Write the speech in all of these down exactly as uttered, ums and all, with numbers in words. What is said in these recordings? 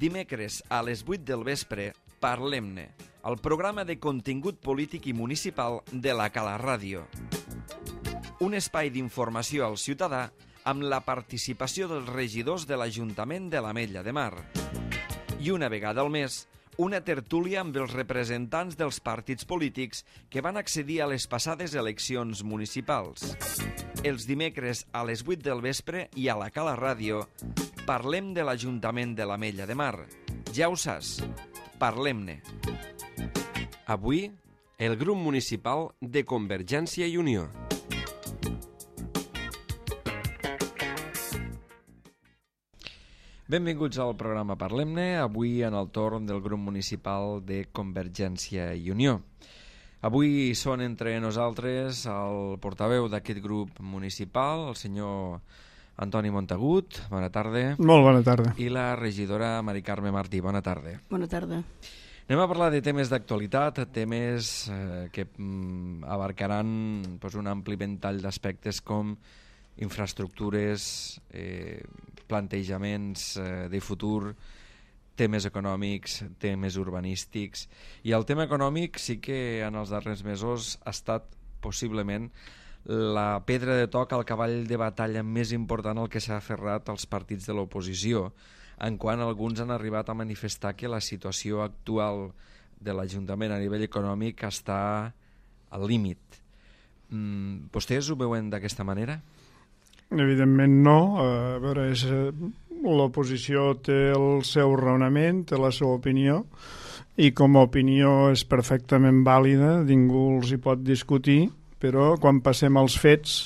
dimecres a les vuit del vespre, Parlem-ne, el programa de contingut polític i municipal de la Cala Ràdio. Un espai d'informació al ciutadà amb la participació dels regidors de l'Ajuntament de l'Ametlla de Mar. I una vegada al mes, una tertúlia amb els representants dels partits polítics que van accedir a les passades eleccions municipals. Els dimecres a les vuit del vespre i a la Cala Ràdio parlem de l'Ajuntament de l'Ametlla de Mar. Ja ho saps, parlem-ne. Avui, el grup municipal de Convergència i Unió. Benvinguts al programa Parlem-ne, avui en el torn del grup municipal de Convergència i Unió. Avui són entre nosaltres el portaveu d'aquest grup municipal, el senyor Antoni Montagut, bona tarda. Molt bona tarda. I la regidora Mari Carme Martí, bona tarda. Bona tarda. Anem a parlar de temes d'actualitat, temes eh, que mm, abarcaran pues, un ampli ventall d'aspectes com infraestructures, eh, plantejaments eh, de futur, temes econòmics, temes urbanístics. I el tema econòmic sí que en els darrers mesos ha estat possiblement la pedra de toc al cavall de batalla més important al que s'ha aferrat als partits de l'oposició, en quan alguns han arribat a manifestar que la situació actual de l'Ajuntament a nivell econòmic està al límit. Mm, vostès ho veuen d'aquesta manera? Evidentment no. A veure, és, l'oposició té el seu raonament, té la seva opinió, i com a opinió és perfectament vàlida, ningú els hi pot discutir, però quan passem als fets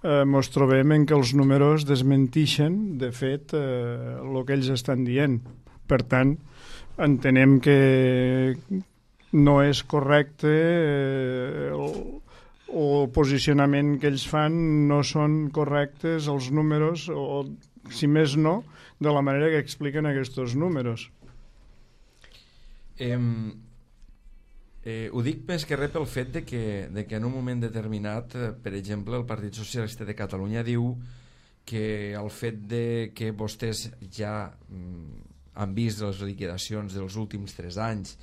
eh, ens trobem en que els números desmentixen, de fet, eh, el que ells estan dient. Per tant, entenem que no és correcte eh, el, el posicionament que ells fan, no són correctes els números, o si més no, de la manera que expliquen aquests números. Eh, eh, ho dic més que res pel fet de que, de que en un moment determinat, eh, per exemple, el Partit Socialista de Catalunya diu que el fet de que vostès ja mm, han vist les liquidacions dels últims tres anys,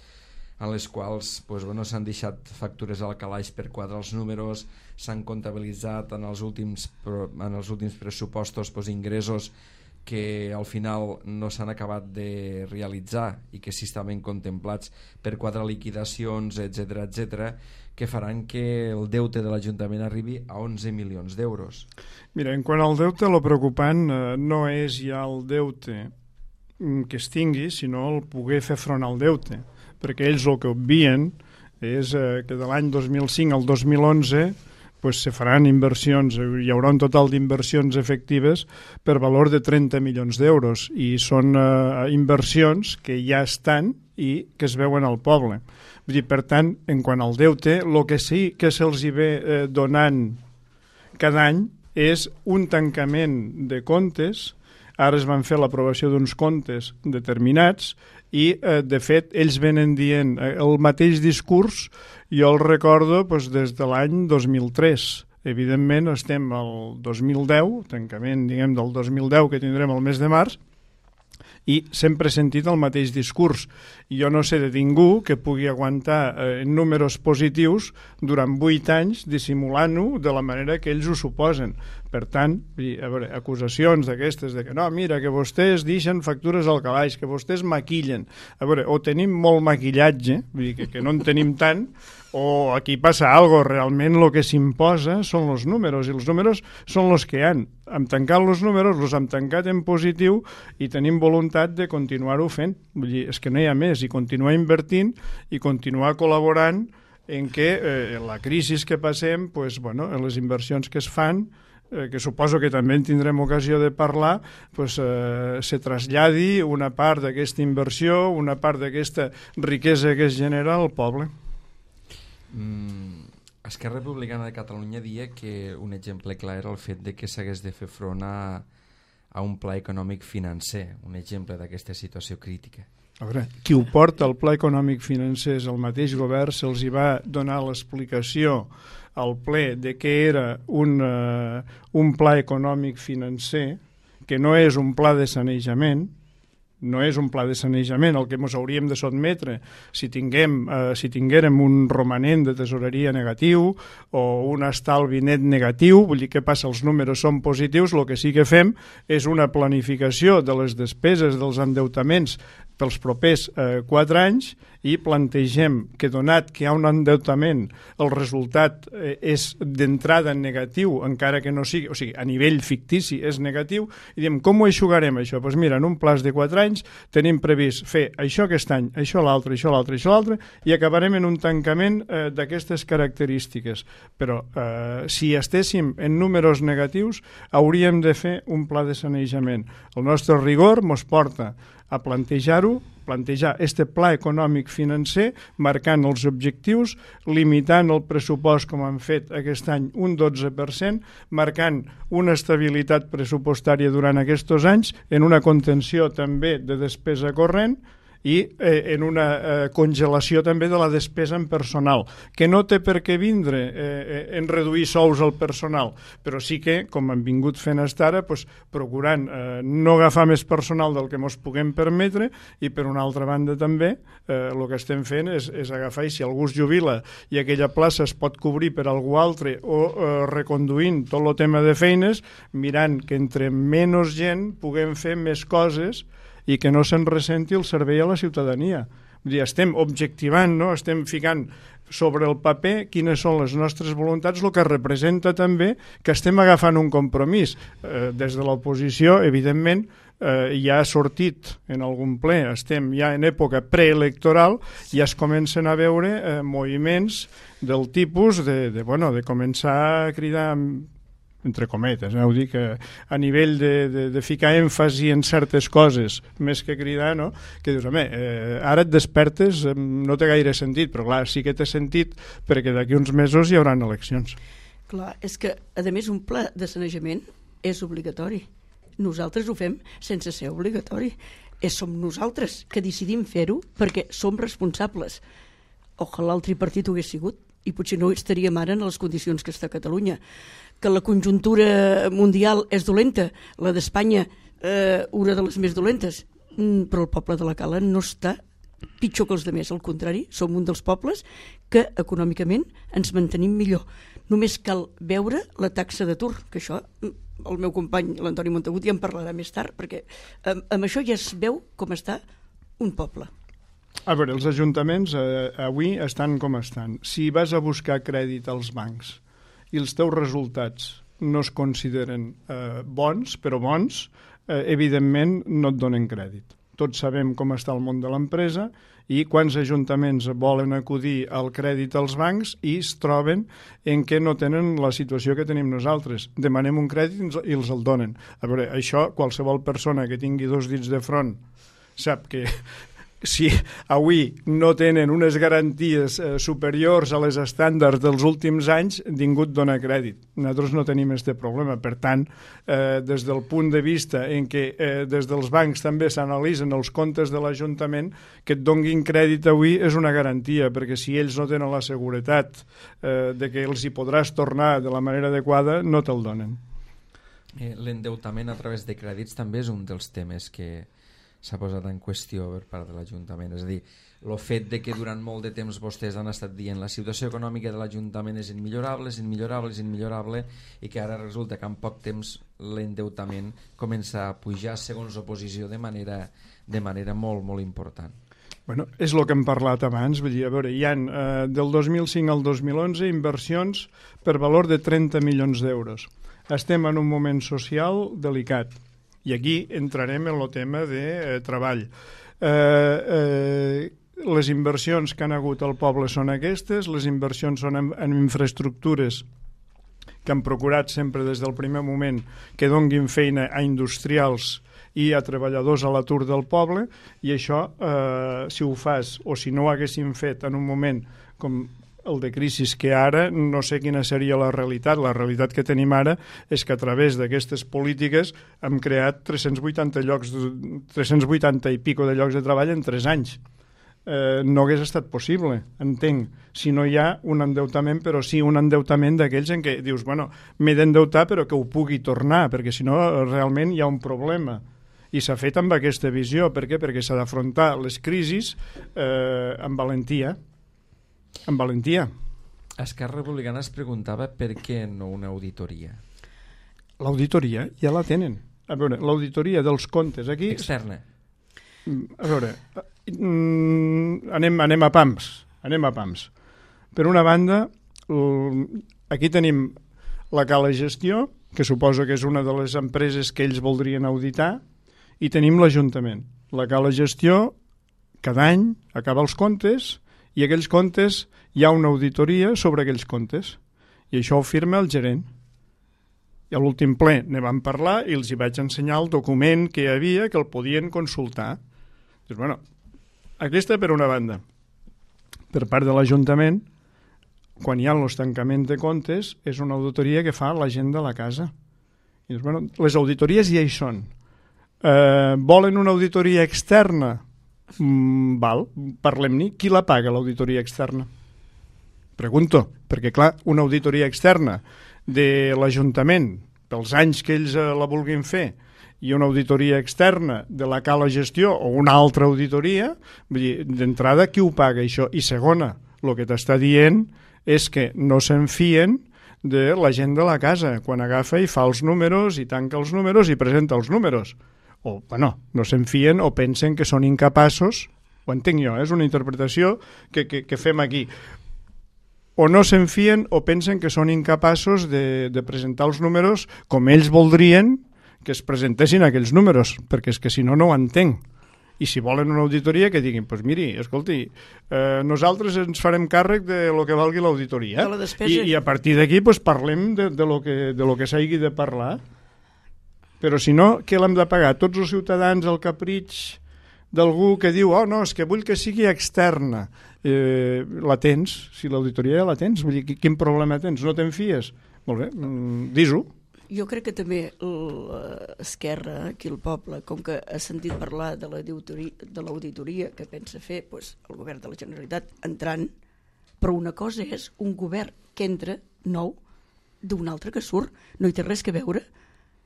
en les quals pues, bueno, s'han deixat factures al calaix per quadrar els números, s'han comptabilitzat en els últims, en els últims pressupostos pues, ingressos que al final no s'han acabat de realitzar i que sí estaven contemplats per quadrar liquidacions, etcètera, etcètera, que faran que el deute de l'Ajuntament arribi a onze milions d'euros. Mira, en quant al deute, el preocupant eh, no és ja el deute que es tingui, sinó el poder fer front al deute, perquè ells el que obvien és eh, que de l'any dos mil cinc al dos mil onze pues, se faran inversions, hi haurà un total d'inversions efectives per valor de trenta milions d'euros, i són eh, inversions que ja estan i que es veuen al poble. Vull dir, per tant, en quant al deute, el que sí que se'ls hi ve eh, donant cada any és un tancament de comptes. Ara es van fer l'aprovació d'uns comptes determinats i, eh, de fet, ells venen dient eh, el mateix discurs. Jo el recordo doncs, des de l'any dos mil tres. Evidentment, estem al dos mil deu, tancament diguem, del dos mil deu que tindrem el mes de març, i sempre he sentit el mateix discurs. Jo no sé de ningú que pugui aguantar eh, números positius durant vuit anys dissimulant-ho de la manera que ells ho suposen. Per tant, a veure, acusacions d'aquestes de que no, mira, que vostès deixen factures al calaix, que vostès maquillen. A veure, o tenim molt maquillatge, vull dir que, que no en tenim tant, o aquí passa algo, realment el que s'imposa són els números, i els números són els que hi ha. Hem tancat els números, els hem tancat en positiu i tenim voluntat de continuar-ho fent. Vull dir, és que no hi ha més, i continuar invertint i continuar col·laborant en què eh, la crisi que passem, pues, bueno, les inversions que es fan, eh, que suposo que també en tindrem ocasió de parlar, pues, eh, se traslladi una part d'aquesta inversió, una part d'aquesta riquesa que es genera al poble. Mm, Esquerra Republicana de Catalunya dia que un exemple clar era el fet de que s'hagués de fer front a, a un pla econòmic financer, un exemple d'aquesta situació crítica. A veure, qui ho porta al pla econòmic financer és el mateix govern, se'ls hi va donar l'explicació al ple de què era un, uh, un pla econòmic financer, que no és un pla de sanejament, no és un pla de sanejament el que ens hauríem de sotmetre si, tinguem, eh, si tinguérem un romanent de tesoreria negatiu o un estalvi net negatiu, vull dir, què passa? Els números són positius, el que sí que fem és una planificació de les despeses dels endeutaments pels propers eh, quatre anys i plantegem que, donat que hi ha un endeutament, el resultat eh, és d'entrada negatiu, encara que no sigui, o sigui, a nivell fictici és negatiu, i diem, com ho eixugarem això? Doncs mira, en un plaç de quatre anys tenim previst fer això aquest any, això l'altre, això l'altre, això l'altre, i acabarem en un tancament eh, d'aquestes característiques. Però eh, si estéssim en números negatius, hauríem de fer un pla de sanejament. El nostre rigor mos porta a plantejar-ho, plantejar este pla econòmic financer, marcant els objectius, limitant el pressupost com han fet aquest any un dotze per cent, marcant una estabilitat pressupostària durant aquests anys, en una contenció també de despesa corrent, i eh, en una eh, congelació també de la despesa en personal, que no té per què vindre eh, en reduir sous al personal, però sí que, com hem vingut fent fins ara, pues, procurant eh, no agafar més personal del que ens puguem permetre, i per una altra banda també eh, el que estem fent és, és agafar, i si algú es jubila i aquella plaça es pot cobrir per algú altre, o eh, reconduint tot el tema de feines, mirant que entre menys gent puguem fer més coses i que no se'n ressenti el servei a la ciutadania. Vull dir, estem objectivant, no? Estem ficant sobre el paper quines són les nostres voluntats, el que representa també que estem agafant un compromís. Eh, des de l'oposició, evidentment, eh, ja ha sortit en algun ple, estem ja en època preelectoral, i ja es comencen a veure eh, moviments del tipus de, de, bueno, de començar a cridar entre cometes, eh? Ho dic, eh, a nivell de, de, de ficar èmfasi en certes coses, més que cridar, no? Que dius, home, eh, ara et despertes, eh, no té gaire sentit, però clar, sí que té sentit perquè d'aquí uns mesos hi haurà eleccions. Clar, és que, a més, un pla de sanejament és obligatori. Nosaltres ho fem sense ser obligatori. És, som nosaltres que decidim fer-ho perquè som responsables. Ojalà el tripartit ho hagués sigut, i potser no estaríem ara en les condicions que està Catalunya. Que la conjuntura mundial és dolenta, la d'Espanya eh, una de les més dolentes, però el poble de la Cala no està pitjor que els altres, al contrari, som un dels pobles que econòmicament ens mantenim millor. Només cal veure la taxa d'atur, que això el meu company, l'Antoni Montagut, ja en parlarà més tard, perquè amb, amb això ja es veu com està un poble. A veure, els ajuntaments eh, avui estan com estan. Si vas a buscar crèdit als bancs i els teus resultats no es consideren eh, bons, però bons, eh, evidentment no et donen crèdit. Tots sabem com està el món de l'empresa i quants ajuntaments volen acudir al crèdit als bancs i es troben en què no tenen la situació que tenim nosaltres. Demanem un crèdit i els el donen. A veure, això qualsevol persona que tingui dos dits de front sap que si avui no tenen unes garanties eh, superiors a les estàndards dels últims anys, ningú et dona crèdit. Nosaltres no tenim aquest problema. Per tant, eh, des del punt de vista en què eh, des dels bancs també s'analitzen els comptes de l'Ajuntament, que et donguin crèdit avui és una garantia, perquè si ells no tenen la seguretat eh, de que els hi podràs tornar de la manera adequada, no te'l donen. Eh, L'endeutament a través de crèdits també és un dels temes que s'ha posat en qüestió per part de l'Ajuntament. És a dir, el fet de que durant molt de temps vostès han estat dient la situació econòmica de l'Ajuntament és immillorable, és immillorable, és immillorable, i que ara resulta que en poc temps l'endeutament comença a pujar segons oposició de manera, de manera molt, molt important. Bueno, és el que hem parlat abans. Vull dir, a veure, hi ha eh, del dos mil cinc al dos mil onze inversions per valor de trenta milions d'euros. Estem en un moment social delicat. I aquí entrarem en el tema de eh, treball. Eh, eh, les inversions que han hagut al poble són aquestes, les inversions són en, en infraestructures que han procurat sempre des del primer moment que donguin feina a industrials i a treballadors a l'atur del poble, i això, eh, si ho fas o si no ho haguessin fet en un moment com el de crisi, que ara no sé quina seria la realitat. La realitat que tenim ara és que a través d'aquestes polítiques hem creat tres-cents vuitanta llocs, tres-cents vuitanta i pico de llocs de treball en tres anys. Eh, no hagués estat possible, entenc, si no hi ha un endeutament, però sí un endeutament d'aquells en què dius, bueno, m'he d'endeutar però que ho pugui tornar, perquè si no realment hi ha un problema. i s'ha fet amb aquesta visió. Per què? Perquè s'ha d'afrontar les crisis eh, amb valentia. Amb valentia. Esquerra Republicana es preguntava per què no una auditoria. L'auditoria ja la tenen. A veure, l'auditoria dels comptes aquí... Externa. A veure, anem, anem a pams. Anem a pams. Per una banda, aquí tenim la Cala Gestió, que suposo que és una de les empreses que ells voldrien auditar, i tenim l'Ajuntament. La Cala Gestió, cada any, acaba els comptes, i aquells comptes hi ha una auditoria sobre aquells comptes. I això ho firma el gerent. I a l'últim ple ne vam parlar i els hi vaig ensenyar el document que hi havia que el podien consultar. Doncs, bueno, aquesta per una banda. Per part de l'Ajuntament, quan hi ha els tancaments de comptes, és una auditoria que fa la gent de la casa. I doncs, bueno, les auditories ja hi són. Eh, volen una auditoria externa? Mm, val, parlem-n'hi. Qui la paga, l'auditoria externa? Pregunto, perquè clar, una auditoria externa de l'Ajuntament, pels anys que ells eh, la vulguin fer, i una auditoria externa de la Cala Gestió o una altra auditoria, vull dir, d'entrada, qui ho paga això? I segona, el que t'està dient és que no se'n fien de la gent de la casa, quan agafa i fa els números i tanca els números i presenta els números. O, bueno, no se'n fien o pensen que són incapaços, ho entenc jo, eh? És una interpretació que, que, que fem aquí. O no se'n fien o pensen que són incapaços de, de presentar els números com ells voldrien que es presentessin aquells números, perquè és que si no, no ho entenc. I si volen una auditoria, que diguin, doncs pues miri, escolti, eh, nosaltres ens farem càrrec de lo que valgui l'auditoria. De la despesa. I, I a partir d'aquí pues, parlem de, de lo que, de lo que s'hagi de parlar. Però si no, què l'hem de pagar? Tots els ciutadans al capritx d'algú que diu, oh no, és que vull que sigui externa. Eh, la tens, si l'auditoria ja la tens, vull dir, quin problema tens? No te'n fies? Molt bé, mm, dis-ho. Jo crec que també l'Esquerra, aquí el poble, com que ha sentit parlar de l'auditoria que pensa fer pues, el govern de la Generalitat entrant, però una cosa és un govern que entra nou d'un altre que surt. No hi té res que veure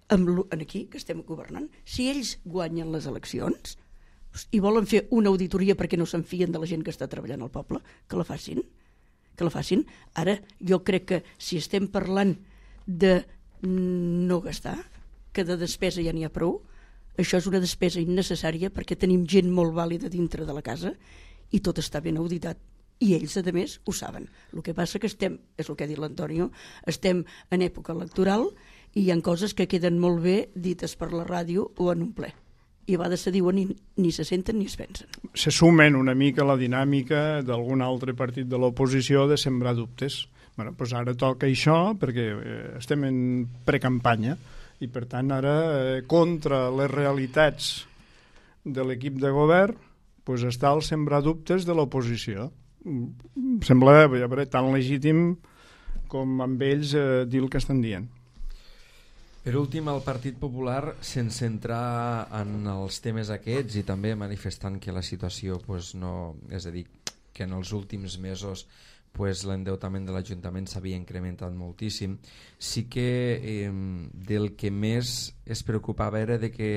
amb aquí, que estem governant. Si ells guanyen les eleccions i volen fer una auditoria perquè no se'n fien de la gent que està treballant al poble, que la facin. Que la facin. Ara, jo crec que si estem parlant de no gastar, que de despesa ja n'hi ha prou, això és una despesa innecessària perquè tenim gent molt vàlida dintre de la casa i tot està ben auditat. I ells, a més, ho saben. El que passa que estem, és el que ha dit l'Antonio, estem en època electoral i hi ha coses que queden molt bé dites per la ràdio o en un ple. I a vegades se diuen i ni se senten ni es pensen. Se sumen una mica a la dinàmica d'algun altre partit de l'oposició de sembrar dubtes. Bueno, doncs ara toca això perquè eh, estem en precampanya i per tant ara eh, contra les realitats de l'equip de govern doncs està el sembrar dubtes de l'oposició. Em sembla a veure, tan legítim com amb ells eh, dir el que estan dient. Per últim, el Partit Popular, sense entrar en els temes aquests i també manifestant que la situació pues, no, és a dir, que en els últims mesos pues, l'endeutament de l'Ajuntament s'havia incrementat moltíssim, sí que eh, del que més es preocupava era de que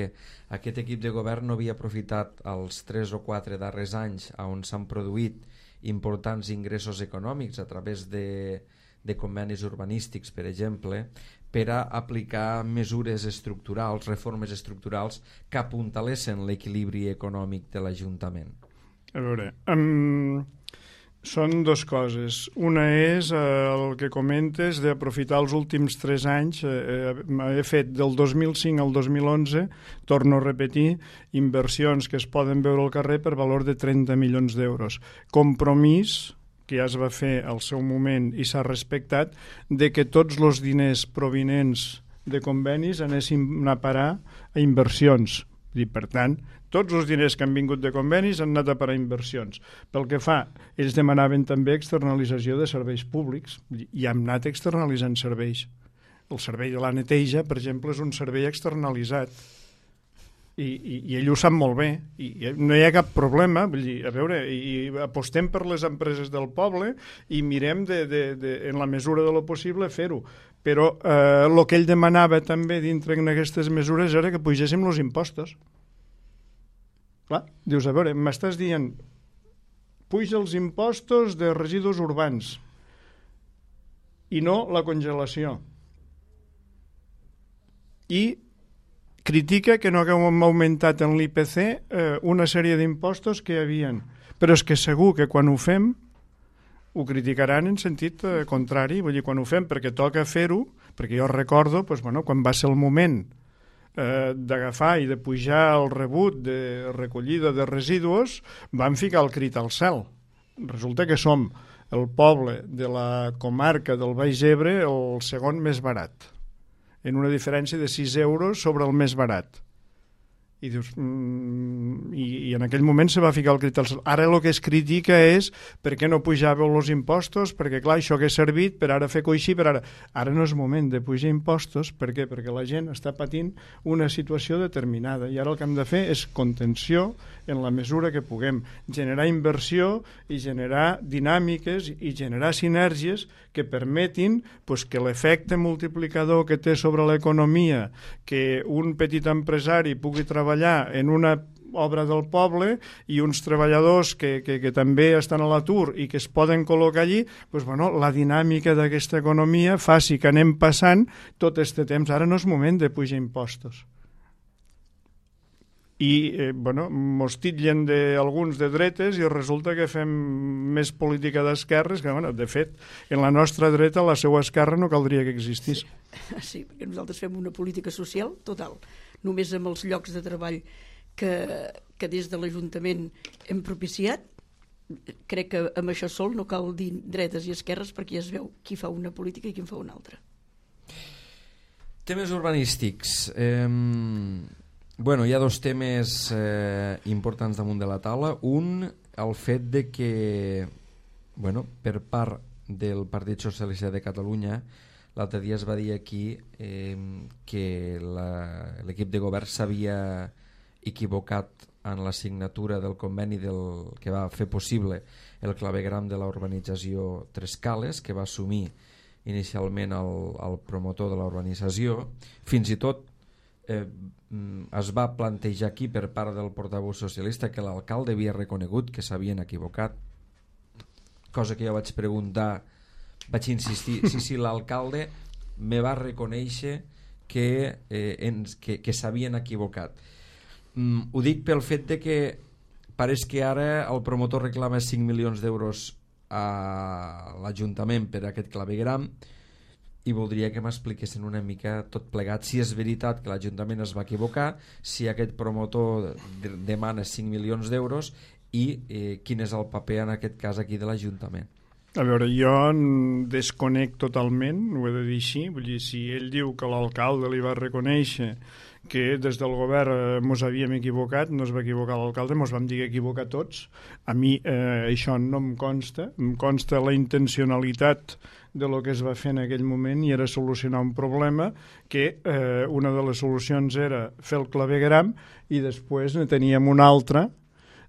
aquest equip de govern no havia aprofitat els tres o quatre darrers anys on s'han produït importants ingressos econòmics a través de, de convenis urbanístics, per exemple, per a aplicar mesures estructurals, reformes estructurals que apuntalessin l'equilibri econòmic de l'Ajuntament. A veure, um, són dues coses. Una és eh, el que comentes d'aprofitar els últims tres anys. Eh, he fet del dos mil cinc al dos mil onze, torno a repetir, inversions que es poden veure al carrer per valor de trenta milions d'euros. Compromís que ja es va fer al seu moment i s'ha respectat, de que tots els diners provinents de convenis anessin a parar a inversions. I, per tant, tots els diners que han vingut de convenis han anat a parar a inversions. Pel que fa, ells demanaven també externalització de serveis públics i hem anat externalitzant serveis. El servei de la neteja, per exemple, és un servei externalitzat. I, i, i ell ho sap molt bé i, i no hi ha cap problema, vull dir, a veure, i, i apostem per les empreses del poble i mirem de, de, de, en la mesura de lo possible fer-ho, però el eh, que ell demanava també dintre d'aquestes mesures era que pugéssim els impostos. Clar, dius, a veure, m'estàs dient puja els impostos de residus urbans i no la congelació. I critica que no haguem augmentat en l'I P C eh, una sèrie d'impostos que hi havia. Però és que segur que quan ho fem ho criticaran en sentit eh, contrari, vull dir, quan ho fem perquè toca fer-ho, perquè jo recordo doncs, bueno, quan va ser el moment eh, d'agafar i de pujar el rebut de recollida de residus, van ficar el crit al cel. Resulta que som el poble de la comarca del Baix Ebre el segon més barat, en una diferència de sis euros sobre el més barat. I dius, mm, i, i en aquell moment se va ficar el crit al cel. Ara el que es critica és per què no pujàveu els impostos, perquè clar, això hagués servit per ara fer coixí, per ara... Ara no és moment de pujar impostos, per què? Perquè la gent està patint una situació determinada i ara el que hem de fer és contenció en la mesura que puguem, generar inversió i generar dinàmiques i generar sinergies que permetin pues, que l'efecte multiplicador que té sobre l'economia, que un petit empresari pugui treballar en una obra del poble i uns treballadors que, que, que també estan a l'atur i que es poden col·locar allí, doncs, bueno, la dinàmica d'aquesta economia faci que anem passant tot aquest temps. Ara no és moment de pujar impostos. I eh, bueno, mos titllen d'alguns de dretes i resulta que fem més política d'esquerres que, bueno, de fet, en la nostra dreta la seva esquerra no caldria que existís. Sí, sí, perquè nosaltres fem una política social total, només amb els llocs de treball que, que des de l'Ajuntament hem propiciat. Crec que amb això sol no cal dir dretes i esquerres perquè ja es veu qui fa una política i qui en fa una altra. Temes urbanístics. Eh, bueno, hi ha dos temes eh, importants damunt de la taula. Un, el fet de que, bueno, per part del Partit Socialista de Catalunya, l'altre dia es va dir aquí eh, que l'equip de govern s'havia equivocat en la signatura del conveni del, que va fer possible el clavegram de la urbanització Tres Cales, que va assumir inicialment el, el promotor de la urbanització. Fins i tot eh, es va plantejar aquí per part del portaveu socialista que l'alcalde havia reconegut que s'havien equivocat, cosa que jo vaig preguntar, vaig insistir, sí, sí, l'alcalde me va reconèixer que, eh, ens, que, que s'havien equivocat. Mm, ho dic pel fet de que pareix que ara el promotor reclama cinc milions d'euros a l'Ajuntament per aquest clavegram i voldria que m'expliquessin una mica tot plegat, si és veritat que l'Ajuntament es va equivocar, si aquest promotor demana cinc milions d'euros i eh, quin és el paper en aquest cas aquí de l'Ajuntament. A veure, jo desconec totalment, ho he de dir així, vull dir, si ell diu que l'alcalde li va reconèixer que des del govern mos havíem equivocat, no es va equivocar l'alcalde, mos vam dir equivocar tots. A mi eh, això no em consta, em consta la intencionalitat de lo que es va fer en aquell moment i era solucionar un problema que eh, una de les solucions era fer el clavegram i després ne teníem una altra,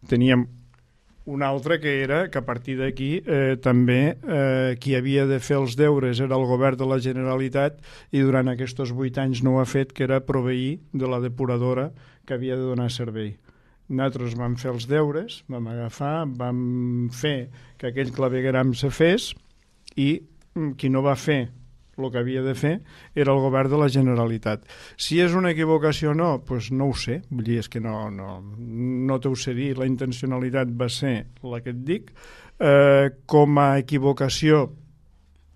teníem una altra que era que a partir d'aquí eh, també eh, qui havia de fer els deures era el govern de la Generalitat i durant aquests vuit anys no ho ha fet, que era proveir de la depuradora que havia de donar servei. Nosaltres vam fer els deures, vam agafar, vam fer que aquell clavegram se fes i qui no va fer el que havia de fer era el govern de la Generalitat. Si és una equivocació o no, doncs no ho sé, vull dir, és que no, no, no t'ho sé dir, la intencionalitat va ser la que et dic. Eh, com a equivocació,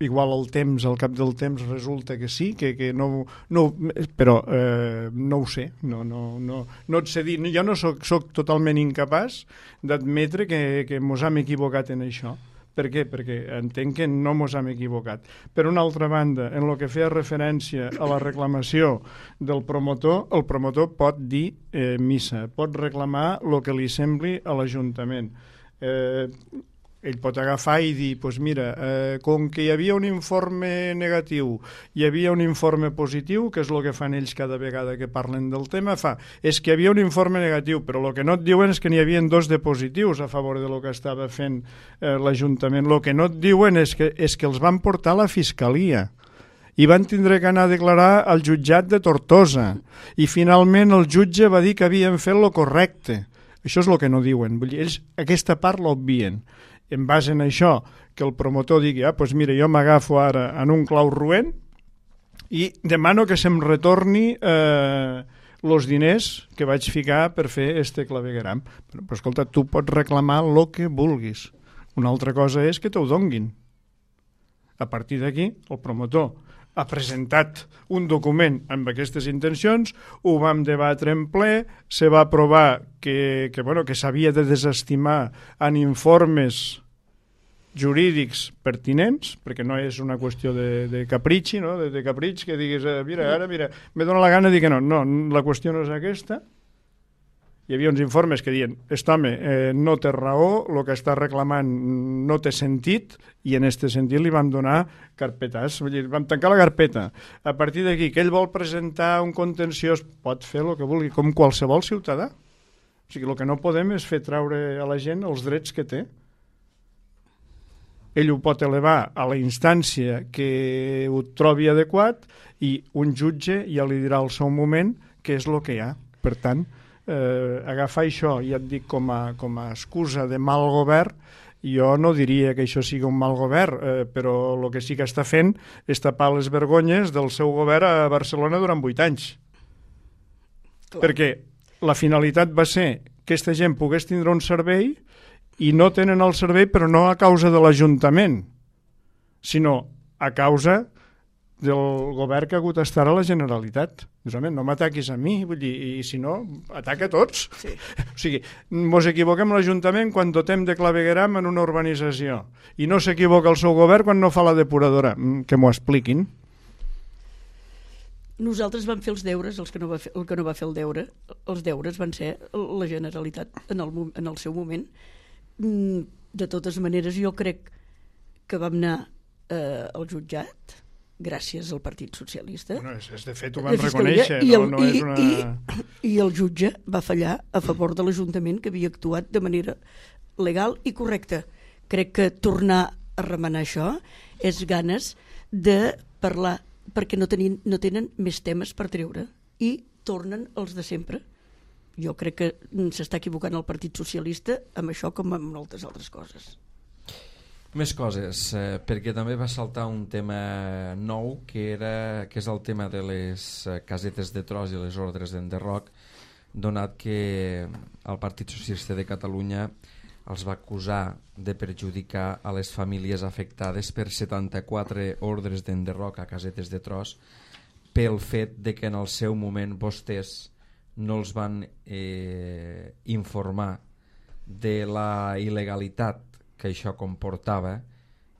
igual el temps, al cap del temps resulta que sí, que, que no, no, però eh, no ho sé, no, no, no, no et sé dir, jo no soc, soc totalment incapaç d'admetre que, que mos hem equivocat en això. Per què? Perquè entenc que no mos hem equivocat. Per una altra banda, en el que feia referència a la reclamació del promotor, el promotor pot dir eh, missa, pot reclamar el que li sembli a l'Ajuntament. Eh, ell pot agafar i dir, pues mira, eh, com que hi havia un informe negatiu, hi havia un informe positiu, que és el que fan ells cada vegada que parlen del tema, fa, és que hi havia un informe negatiu, però el que no et diuen és que n'hi havia dos de positius a favor de lo que estava fent eh, l'Ajuntament. El que no et diuen és que, és que els van portar a la Fiscalia i van tindre que anar a declarar al jutjat de Tortosa i finalment el jutge va dir que havien fet lo correcte. Això és el que no diuen. Vull dir, ells aquesta part l'obvien. En base en això, que el promotor digui, ah, doncs mira, jo m'agafo ara en un clau roent i demano que se'm retorni eh, els diners que vaig ficar per fer este clavegueram. Però, però escolta, tu pots reclamar el que vulguis. Una altra cosa és que t'ho donguin. A partir d'aquí, el promotor ha presentat un document amb aquestes intencions, ho vam debatre en ple, se va aprovar que, que, bueno, que s'havia de desestimar en informes jurídics pertinents, perquè no és una qüestió de, de capritxi, no? de, de capritx, que diguis, eh, mira, ara, mira, me dóna la gana de dir que no. No, la qüestió no és aquesta. Hi havia uns informes que diuen, aquest home eh, no té raó, el que està reclamant no té sentit, i en aquest sentit li vam donar carpetàs, vull dir, vam tancar la carpeta. A partir d'aquí, que ell vol presentar un contenciós, pot fer el que vulgui, com qualsevol ciutadà. O sigui, el que no podem és fer traure a la gent els drets que té. Ell ho pot elevar a la instància que ho trobi adequat i un jutge ja li dirà al seu moment què és el que hi ha. Per tant, eh, agafar això, ja et dic, com a, com a excusa de mal govern, jo no diria que això sigui un mal govern, eh, però el que sí que està fent és tapar les vergonyes del seu govern a Barcelona durant vuit anys. Clar. Perquè la finalitat va ser que aquesta gent pogués tindre un servei i no tenen el servei, però no a causa de l'Ajuntament, sinó a causa del govern que ha hagut d'estar a la Generalitat. Dius, home, no m'ataquis a mi, vull dir, i si no, ataca a tots. Sí. O sigui, mos equivoquem l'Ajuntament quan dotem de clavegueram en una urbanització i no s'equivoca el seu govern quan no fa la depuradora. Que m'ho expliquin. Nosaltres vam fer els deures, els que no va fer, el que no va fer el deure, els deures van ser la Generalitat en el, en el seu moment. De totes maneres, jo crec que vam anar eh, al jutjat gràcies al Partit Socialista. Bueno, és, és de fet ho van reconèixer. I el, no, no i, és una... i, I el jutge va fallar a favor de l'Ajuntament, que havia actuat de manera legal i correcta. Crec que tornar a remenar això és ganes de parlar, perquè no, tenien, no tenen més temes per treure i tornen els de sempre. Jo crec que s'està equivocant el Partit Socialista amb això com amb moltes altres coses. Més coses, eh, perquè també va saltar un tema nou, que, era, que és el tema de les casetes de tros i les ordres d'enderroc, donat que el Partit Socialista de Catalunya els va acusar de perjudicar a les famílies afectades per setanta-quatre ordres d'enderroc a casetes de tros pel fet de que en el seu moment vostès no els van eh, informar de la il·legalitat que això comportava,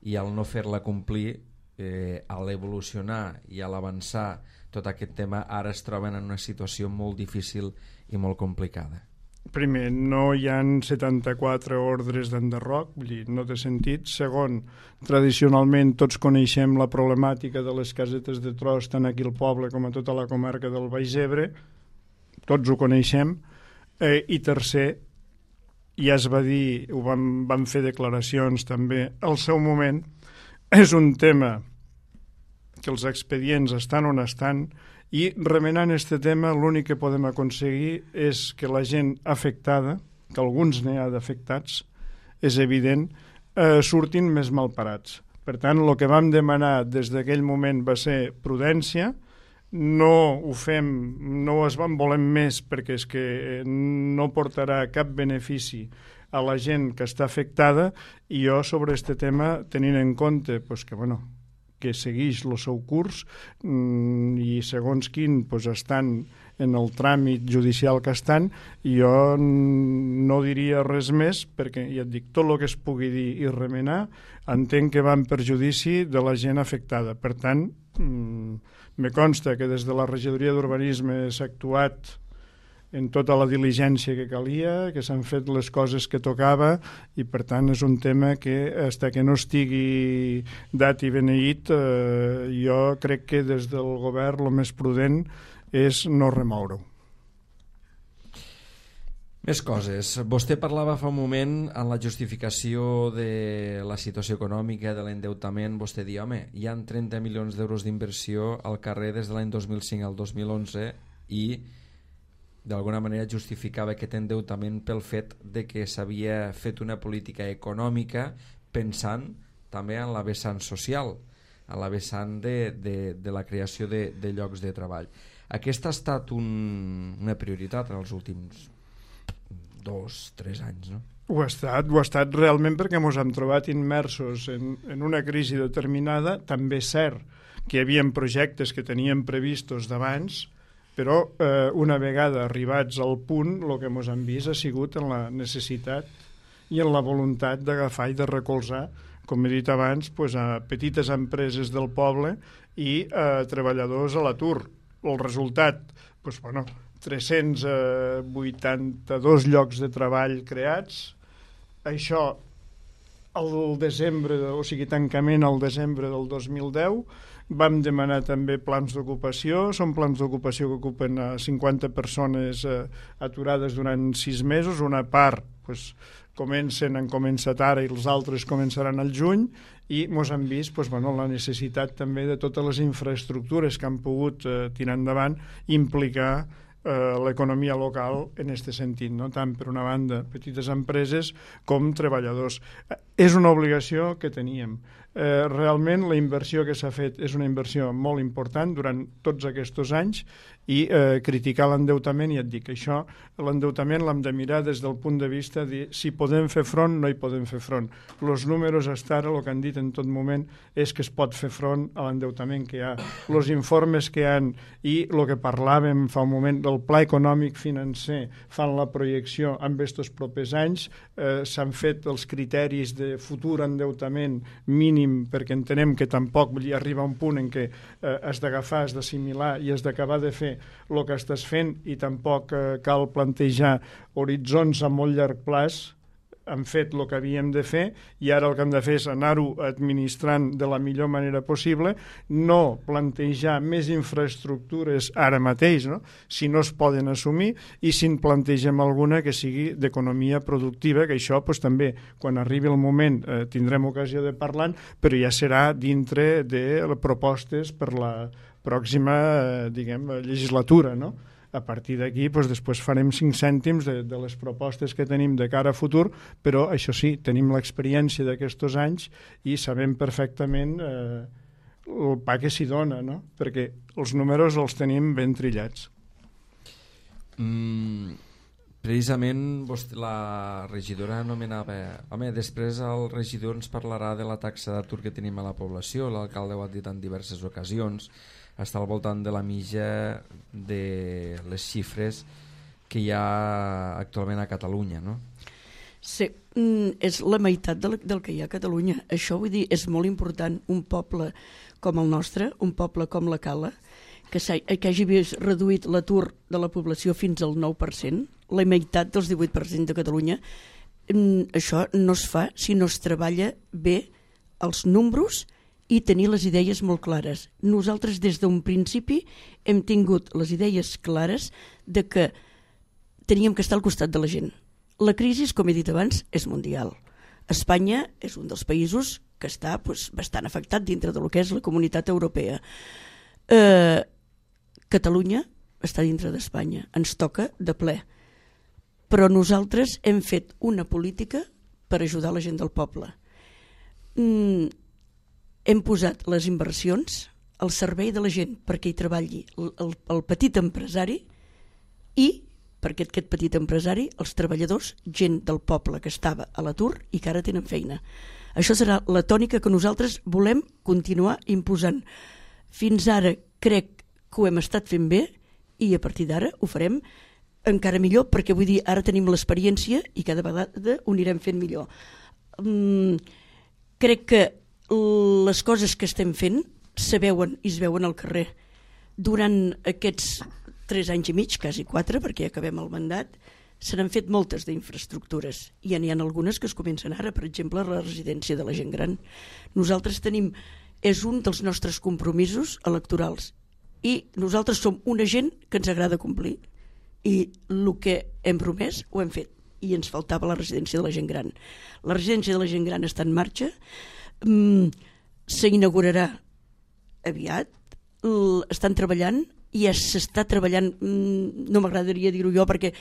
i al no fer-la complir, eh, a l'evolucionar i a l'avançar tot aquest tema, ara es troben en una situació molt difícil i molt complicada. Primer, no hi ha setanta-quatre ordres d'enderroc, vull dir, no té sentit. Segon, tradicionalment tots coneixem la problemàtica de les casetes de tros tant aquí al poble com a tota la comarca del Baix Ebre, tots ho coneixem. Eh, i tercer, ja es va dir, ho vam, vam fer declaracions també al seu moment, és un tema que els expedients estan on estan, i remenant aquest tema l'únic que podem aconseguir és que la gent afectada, que alguns n'hi ha d'afectats, és evident, eh, surtin més malparats. Per tant, el que vam demanar des d'aquell moment va ser prudència. No ho fem, no es van volem més perquè és que no portarà cap benefici a la gent que està afectada, i jo sobre aquest tema, tenint en compte pues, que, bueno, que segueix el seu curs mmm, i segons quin pues, estan en el tràmit judicial que estan, jo no diria res més perquè, ja et dic, tot el que es pugui dir i remenar entenc que va en perjudici de la gent afectada. Per tant, mmm, me consta que des de la regidoria d'urbanisme s'ha actuat en tota la diligència que calia, que s'han fet les coses que tocava, i per tant és un tema que fins que no estigui dat i beneït, eh, jo crec que des del govern el més prudent és no remoure-ho. Més coses. Vostè parlava fa un moment en la justificació de la situació econòmica, de l'endeutament. Vostè diu, home, hi ha trenta milions d'euros d'inversió al carrer des de l'any dos mil cinc al dos mil onze i d'alguna manera justificava aquest endeutament pel fet de que s'havia fet una política econòmica pensant també en la vessant social, en la vessant de, de, de la creació de, de llocs de treball. Aquesta ha estat un, una prioritat en els últims dos, tres anys, no? Ho ha estat, ho ha estat realment perquè ens hem trobat immersos en, en una crisi determinada. També és cert que hi havia projectes que teníem previstos d'abans, però eh, una vegada arribats al punt, el que ens hem vist ha sigut en la necessitat i en la voluntat d'agafar i de recolzar, com he dit abans, pues, a petites empreses del poble i a treballadors a l'atur. El resultat, pues, bueno, tres-cents vuitanta-dos llocs de treball creats. Això al desembre, o sigui, tancament al desembre del dos mil deu. Vam demanar també plans d'ocupació. Són plans d'ocupació que ocupen a cinquanta persones eh, aturades durant sis mesos. Una part pues, comencen, han començat ara i els altres començaran al juny, i ens han vist pues, bueno, la necessitat també de totes les infraestructures que han pogut eh, tirar endavant, implicar eh, l'economia local en aquest sentit, no? Tant per una banda petites empreses com treballadors. Eh, és una obligació que teníem. Eh, realment la inversió que s'ha fet és una inversió molt important durant tots aquests anys, i eh, criticar l'endeutament, i et dic, això, l'endeutament l'hem de mirar des del punt de vista de si podem fer front, no hi podem fer front. Els números hasta ara, el que han dit en tot moment és que es pot fer front a l'endeutament que hi ha. Els informes que hi ha i el que parlàvem fa un moment del pla econòmic financer, fan la projecció amb aquests propers anys, eh, s'han fet els criteris de futur endeutament mínim, perquè entenem que tampoc hi arriba un punt en què eh, has d'agafar, has d'assimilar i has d'acabar de fer el que estàs fent, i tampoc eh, cal plantejar horitzons a molt llarg plaç. Hem fet el que havíem de fer i ara el que hem de fer és anar-ho administrant de la millor manera possible, no plantejar més infraestructures ara mateix, no? Si no es poden assumir, i si en plantegem alguna que sigui d'economia productiva, que això pues, també quan arribi el moment eh, tindrem ocasió de parlar, però ja serà dintre de propostes per la pròxima eh, diguem, legislatura, no? A partir d'aquí, doncs, després farem cinc cèntims de, de les propostes que tenim de cara a futur, però això sí, tenim l'experiència d'aquests anys i sabem perfectament eh, el pa que s'hi dona, no? Perquè els números els tenim ben trillats. Mm, precisament vostè, la regidora anomenava... Home, després el regidor ens parlarà de la taxa d'atur que tenim a la població, l'alcalde ho ha dit en diverses ocasions, està al voltant de la mitja de les xifres que hi ha actualment a Catalunya, no? Sí, és la meitat del, del que hi ha a Catalunya. Això, vull dir, és molt important. Un poble com el nostre, un poble com la Cala, que, que hagi vist reduït l'atur de la població fins al nou per cent, la meitat dels divuit per cent de Catalunya, això no es fa si no es treballa bé els números i tenir les idees molt clares. Nosaltres des d'un principi hem tingut les idees clares de que teníem que estar al costat de la gent. La crisi, com he dit abans, és mundial. Espanya és un dels països que està pues, bastant afectat dintre del que és la comunitat europea. Eh, Catalunya està dintre d'Espanya, ens toca de ple. Però nosaltres hem fet una política per ajudar la gent del poble. Mm, hem posat les inversions al servei de la gent perquè hi treballi el, el, el petit empresari i perquè aquest petit empresari, els treballadors, gent del poble que estava a l'atur i que ara tenen feina. Això serà la tònica que nosaltres volem continuar imposant. Fins ara crec que ho hem estat fent bé i a partir d'ara ho farem encara millor, perquè vull dir, ara tenim l'experiència i cada vegada ho anirem fent millor. Mm, crec que les coses que estem fent se veuen i es veuen al carrer. Durant aquests tres anys i mig, quasi quatre, perquè ja acabem el mandat, se n'han fet moltes d'infraestructures i ja n'hi ha algunes que es comencen ara, per exemple, la residència de la gent gran. Nosaltres tenim, és un dels nostres compromisos electorals i nosaltres som una gent que ens agrada complir i el que hem promès ho hem fet i ens faltava la residència de la gent gran. La residència de la gent gran està en marxa, Mm, s'inaugurarà aviat, estan treballant i ja s'està treballant, no m'agradaria dir-ho jo perquè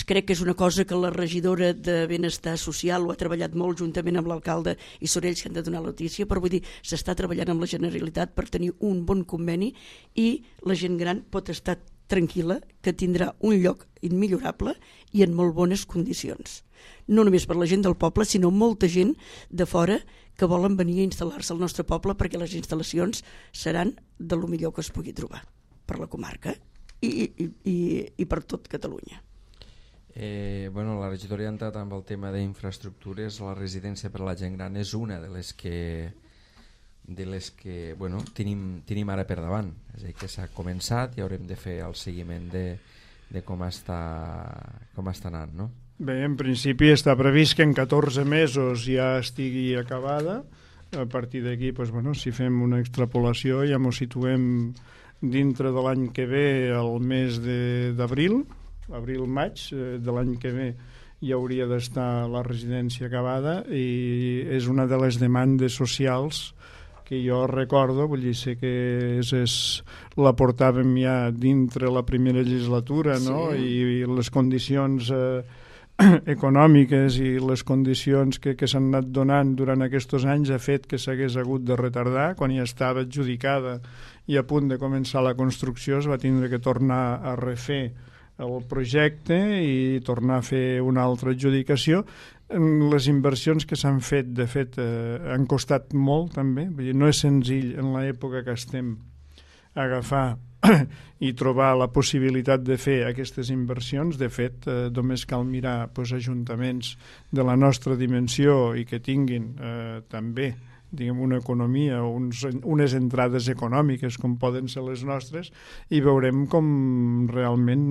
crec que és una cosa que la regidora de Benestar Social ho ha treballat molt juntament amb l'alcalde i són ells que han de donar la notícia, però vull dir, s'està treballant amb la Generalitat per tenir un bon conveni i la gent gran pot estar tranquil·la que tindrà un lloc immillorable i en molt bones condicions. No només per la gent del poble, sinó molta gent de fora que volen venir a instal·lar-se al nostre poble perquè les instal·lacions seran de lo millor que es pugui trobar per la comarca i, i, i, i per tot Catalunya. Eh, bueno, la regidora ha entrat amb el tema d'infraestructures. La residència per a la gent gran és una de les que de les que bueno, tenim, tenim ara per davant, és a dir, que s'ha començat i haurem de fer el seguiment de, de com, està, com està anant, no? Bé, en principi està previst que en catorze mesos ja estigui acabada. A partir d'aquí, doncs, bueno, si fem una extrapolació ja ens situem dintre de l'any que ve, el mes d'abril, abril-maig eh, de l'any que ve hi hauria d'estar la residència acabada i és una de les demandes socials que jo recordo, vull dir, sé que és, és, la portàvem ja dintre la primera legislatura, no? Sí. I, i les condicions eh, econòmiques i les condicions que, que s'han anat donant durant aquests anys ha fet que s'hagués hagut de retardar. Quan ja estava adjudicada i a punt de començar la construcció es va tindre que tornar a refer el projecte i tornar a fer una altra adjudicació. Les inversions que s'han fet, de fet, eh, han costat molt també. Vull dir, no és senzill en l'època que estem agafar i trobar la possibilitat de fer aquestes inversions. De fet, eh, només cal mirar doncs, ajuntaments de la nostra dimensió i que tinguin eh, també diguem, una economia, uns, unes entrades econòmiques com poden ser les nostres i veurem com realment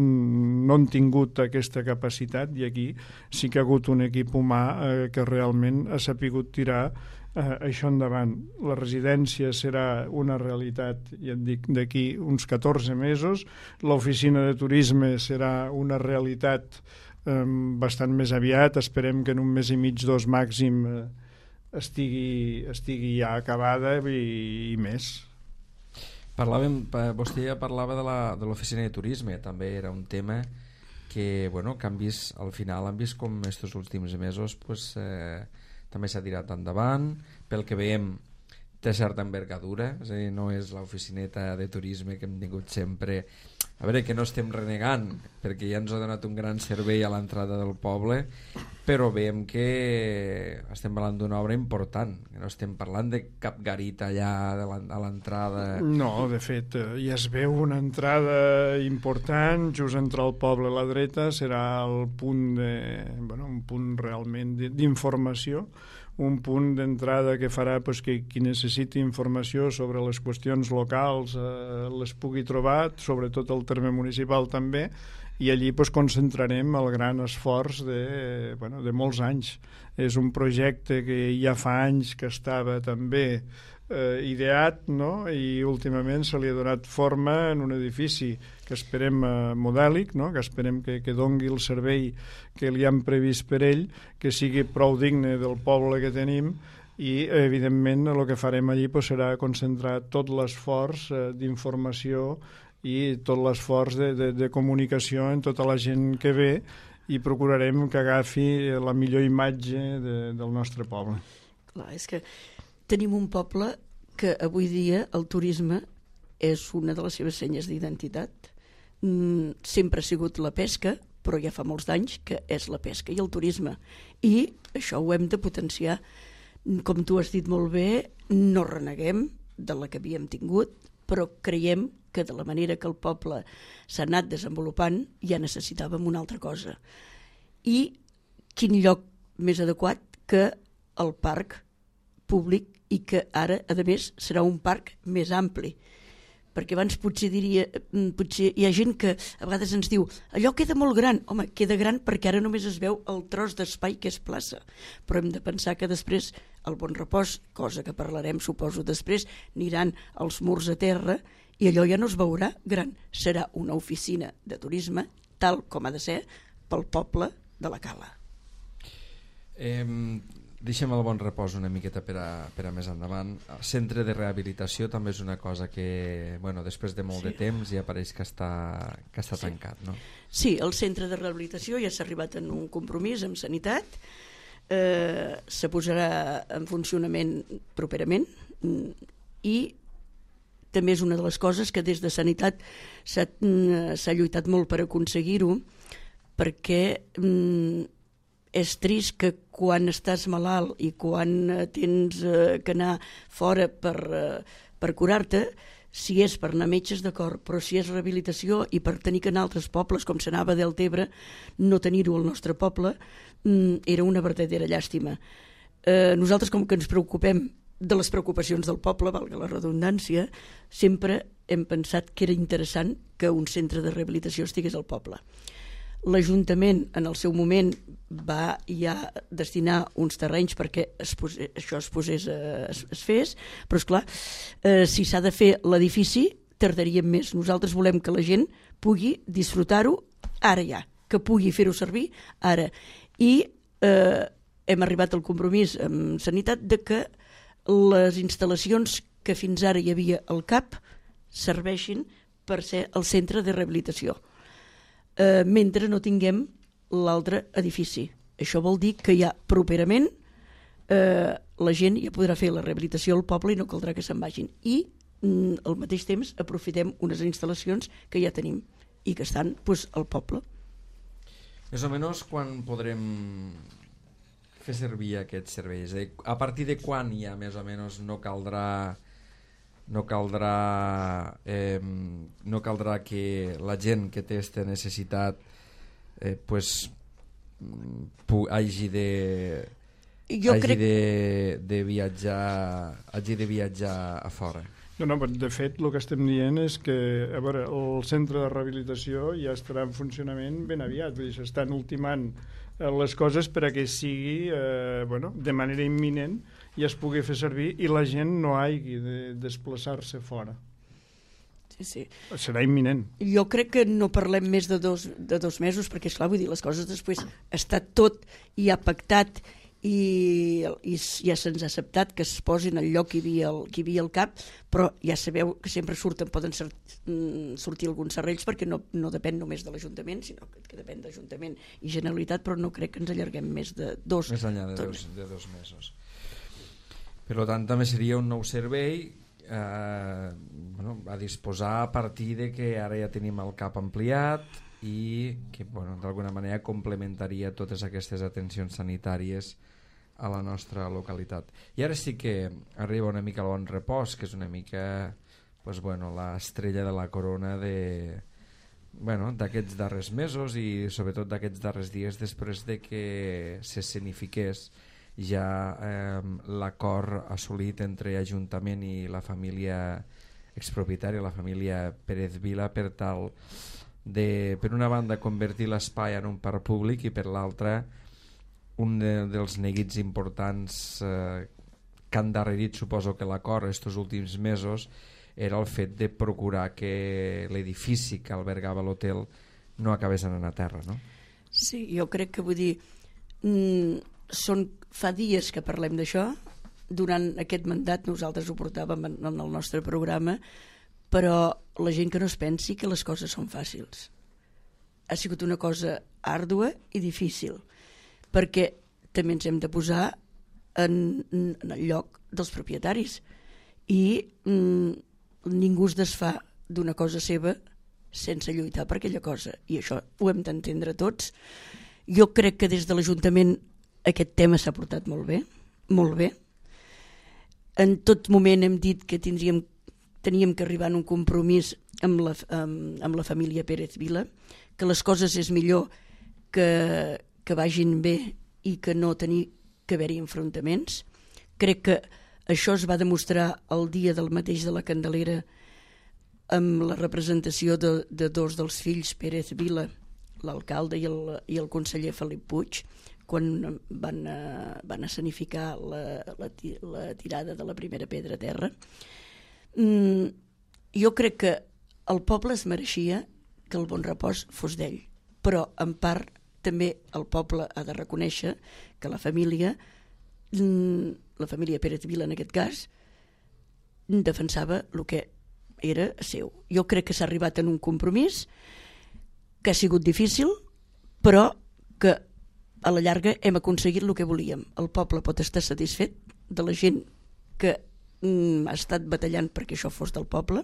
no han tingut aquesta capacitat i aquí sí que ha hagut un equip humà eh, que realment ha sapigut tirar eh, això endavant. La residència serà una realitat, ja et dic, d'aquí uns catorze mesos, l'oficina de turisme serà una realitat eh, bastant més aviat, esperem que en un mes i mig, dos màxim eh, estigui, estigui ja acabada i, i més. Parlàvem, vostè ja parlava de l'oficina de, de turisme, també era un tema que, bueno, que han vist, al final han vist com estos últims mesos pues, eh, també s'ha tirat endavant, pel que veiem té certa envergadura, és a dir, no és l'oficineta de turisme que hem tingut sempre. A veure, que no estem renegant, perquè ja ens ha donat un gran servei a l'entrada del poble, però veiem que estem parlant d'una obra important, que no estem parlant de cap garita allà a l'entrada. No, de fet, ja es veu una entrada important, just entre el poble a la dreta, serà el punt de, bueno, un punt realment d'informació, un punt d'entrada que farà pues, que qui necessiti informació sobre les qüestions locals eh, les pugui trobar, sobretot el terme municipal també, i allí pues, concentrarem el gran esforç de, bueno, de molts anys. És un projecte que ja fa anys que estava també eh, ideat, no? I últimament se li ha donat forma en un edifici que esperem eh, modèlic, no? Que esperem que, que dongui el servei que li han previst per ell, que sigui prou digne del poble que tenim i evidentment el que farem allí pues, serà concentrar tot l'esforç eh, d'informació i tot l'esforç de, de, de comunicació en tota la gent que ve i procurarem que agafi la millor imatge de, del nostre poble. Clar, és que tenim un poble que avui dia el turisme és una de les seves senyes d'identitat. Mm, sempre ha sigut la pesca, però ja fa molts d'anys que és la pesca i el turisme. I això ho hem de potenciar. Com tu has dit molt bé, no reneguem de la que havíem tingut, però creiem que de la manera que el poble s'ha anat desenvolupant ja necessitàvem una altra cosa. I quin lloc més adequat que el parc públic i que ara, a més, serà un parc més ampli. Perquè abans potser diria, potser hi ha gent que a vegades ens diu allò queda molt gran. Home, queda gran perquè ara només es veu el tros d'espai que és plaça. Però hem de pensar que després el Bon Repòs, cosa que parlarem suposo després, aniran els murs a terra i allò ja no es veurà gran. Serà una oficina de turisme tal com ha de ser pel poble de la Cala. Eh, deixem el bon repòs una miqueta per a, per a més endavant. El centre de rehabilitació també és una cosa que, bueno, després de molt sí. de temps ja pareix que està, que està sí. tancat, no? Sí, el centre de rehabilitació ja s'ha arribat en un compromís amb Sanitat, eh, se posarà en funcionament properament i també és una de les coses que des de Sanitat s'ha, s'ha lluitat molt per aconseguir-ho, perquè mm, és trist que quan estàs malalt i quan tens eh, que anar fora per, eh, per curar-te, si és per anar a metges, d'acord, però si és rehabilitació i per tenir que anar a altres pobles, com s'anava a Deltebre, no tenir-ho al nostre poble, mm, era una verdadera llàstima. Eh, nosaltres, com que ens preocupem de les preocupacions del poble, valga la redundància, sempre hem pensat que era interessant que un centre de rehabilitació estigués al poble. L'Ajuntament en el seu moment va ja destinar uns terrenys perquè es posés, això es, posés, es, es fes, però esclar, eh, si s'ha de fer l'edifici tardaríem més. Nosaltres volem que la gent pugui disfrutar-ho ara ja, que pugui fer-ho servir ara. I eh, hem arribat al compromís amb Sanitat de que les instal·lacions que fins ara hi havia al C A P serveixin per ser el centre de rehabilitació, eh, mentre no tinguem l'altre edifici. Això vol dir que ja properament eh, la gent ja podrà fer la rehabilitació al poble i no caldrà que se'n vagin. I mm, al mateix temps aprofitem unes instal·lacions que ja tenim i que estan pues, al poble. Més o menys quan podrem fer servir aquests serveis? A partir de quan ja més o menys no caldrà no caldrà eh, no caldrà que la gent que té aquesta necessitat eh, pues pu- hagi de jo hagi crec... de, de viatjar hagi de viatjar a fora. No, no, de fet, el que estem dient és que a veure, el centre de rehabilitació ja estarà en funcionament ben aviat, vull dir, s'estan ultimant les coses per a que sigui eh, bueno, de manera imminent i es pugui fer servir i la gent no hagi de desplaçar-se fora. Sí, sí. Serà imminent. Jo crec que no parlem més de dos, de dos mesos perquè, esclar, vull dir, les coses després està tot ja pactat i, i ja se'ns ha acceptat que es posin al lloc que hi havia el, que hi havia el C A P, però ja sabeu que sempre surten, poden ser, sortir alguns serrells perquè no, no depèn només de l'Ajuntament, sinó que, que depèn d'Ajuntament i Generalitat, però no crec que ens allarguem més de dos. Més enllà de dos, de dos mesos. Per tant, també seria un nou servei eh, bueno, a disposar a partir de que ara ja tenim el C A P ampliat i que bueno, d'alguna manera complementaria totes aquestes atencions sanitàries a la nostra localitat. I ara sí que arriba una mica el bon repòs, que és una mica pues, bueno, l'estrella de la corona de, bueno, d'aquests darrers mesos i sobretot d'aquests darrers dies després de que s'escenifiqués ja eh, l'acord assolit entre Ajuntament i la família expropietària, la família Pérez Vila, per tal de, per una banda, convertir l'espai en un parc públic i per l'altra un de, dels neguits importants eh, que han darrerit, suposo que l'acord estos últims mesos, era el fet de procurar que l'edifici que albergava l'hotel no acabés anant a terra, no? Sí, jo crec que vull dir mm, són, fa dies que parlem d'això, durant aquest mandat nosaltres ho portàvem en, en el nostre programa, però la gent que no es pensi que les coses són fàcils. Ha sigut una cosa àrdua i difícil, perquè també ens hem de posar en, en el lloc dels propietaris i mm, ningú es desfà d'una cosa seva sense lluitar per aquella cosa, i això ho hem d'entendre tots. Jo crec que des de l'Ajuntament aquest tema s'ha portat molt bé, molt bé. En tot moment hem dit que tindríem, teníem que arribar a un compromís amb la, amb, amb la família Pérez Vila, que les coses és millor que, que vagin bé i que no tenir que haver-hi enfrontaments. Crec que això es va demostrar el dia del mateix de la Candelera amb la representació de, de dos dels fills Pérez Vila, l'alcalde i el, i el conseller Felip Puig, quan van, uh, van escenificar la, la, la tirada de la primera pedra a terra. Mm, jo crec que el poble es mereixia que el bon repòs fos d'ell, però en part també el poble ha de reconèixer que la família la família Pérez Vila en aquest cas defensava el que era seu. Jo crec que s'ha arribat en un compromís que ha sigut difícil, però que a la llarga hem aconseguit el que volíem. El poble pot estar satisfet de la gent que mm, ha estat batallant perquè això fos del poble,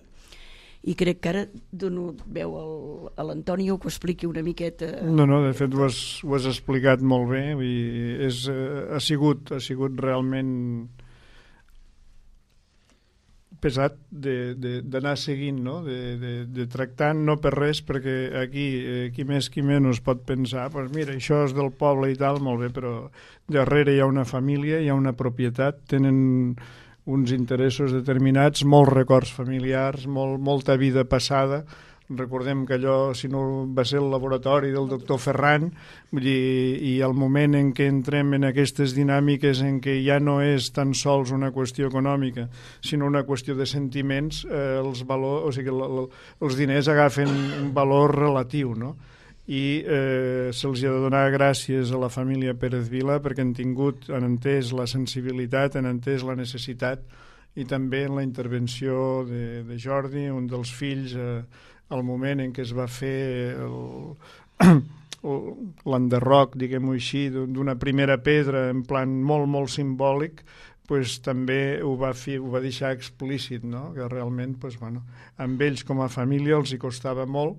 i crec que ara dono veu al, a l'Antonio que ho expliqui una miqueta. No, no, de fet ho has, ho has explicat molt bé, vull dir, és, ha, sigut, ha sigut realment pesat d'anar seguint, no? de, de, de tractar, no per res, perquè aquí eh, qui més qui menys pot pensar, pues mira, això és del poble i tal, molt bé, però darrere hi ha una família, hi ha una propietat, tenen uns interessos determinats, molts records familiars, molt, molta vida passada. Recordem que allò, si no va ser el laboratori del doctor Ferran, vull dir, i el moment en què entrem en aquestes dinàmiques en què ja no és tan sols una qüestió econòmica, sinó una qüestió de sentiments, eh, els, valor, o sigui, l, l, els diners agafen un valor relatiu, no? I eh, se'ls ha de donar gràcies a la família Pérez Vila perquè han tingut, han entès la sensibilitat, han entès la necessitat, i també en la intervenció de, de Jordi, un dels fills, eh, al moment en què es va fer l'enderroc, diguem-ho així, d'una primera pedra en plan molt, molt simbòlic, pues, també ho va, fer, ho va deixar explícit, no? Que realment pues, bueno, amb ells com a família els hi costava molt,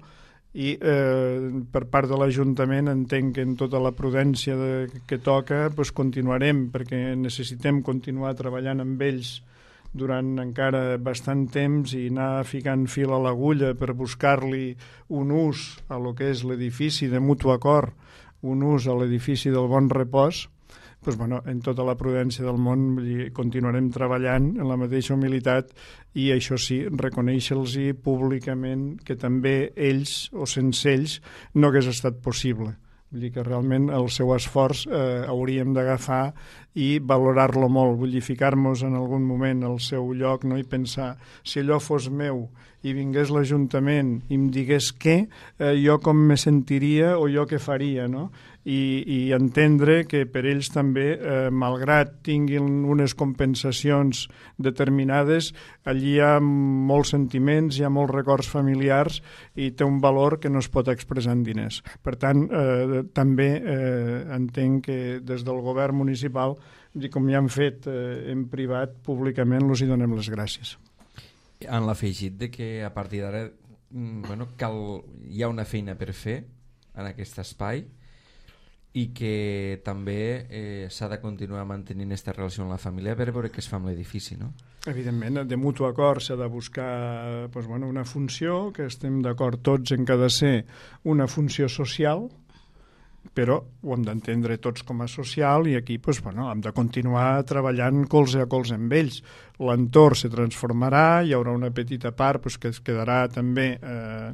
i eh, per part de l'Ajuntament entenc que en tota la prudència de, que toca pues, continuarem, perquè necessitem continuar treballant amb ells durant encara bastant temps i anar ficant fil a l'agulla per buscar-li un ús a lo que és l'edifici de mutu acord, un ús a l'edifici del Bon Repòs. Pues, bueno, en tota la prudència del món continuarem treballant en la mateixa humilitat, i això sí, reconèixer-los públicament que també ells o sense ells no hagués estat possible. Vull dir que realment el seu esforç eh, hauríem d'agafar i valorar-lo molt, vull dir, ficar-nos en algun moment al seu lloc, no? I pensar, si allò fos meu i vingués l'Ajuntament i em digués què, eh, jo com me sentiria o jo què faria, no? I, i entendre que per ells també, eh, malgrat tinguin unes compensacions determinades, allí hi ha molts sentiments, hi ha molts records familiars i té un valor que no es pot expressar en diners. Per tant, eh, també eh, entenc que des del govern municipal, com ja han fet eh, en privat, públicament els hi donem les gràcies. Han l'afegit de que a partir d'ara bueno, cal, hi ha una feina per fer en aquest espai, i que també eh, s'ha de continuar mantenint aquesta relació amb la família per veure què es fa amb l'edifici, no? Evidentment, de mutu acord s'ha de buscar doncs, bueno, una funció, que estem d'acord tots en que ha de ser una funció social, però ho hem d'entendre tots com a social, i aquí doncs, bueno, hem de continuar treballant colze a colze amb ells. L'entorn se transformarà, hi haurà una petita part doncs, que es quedarà també eh,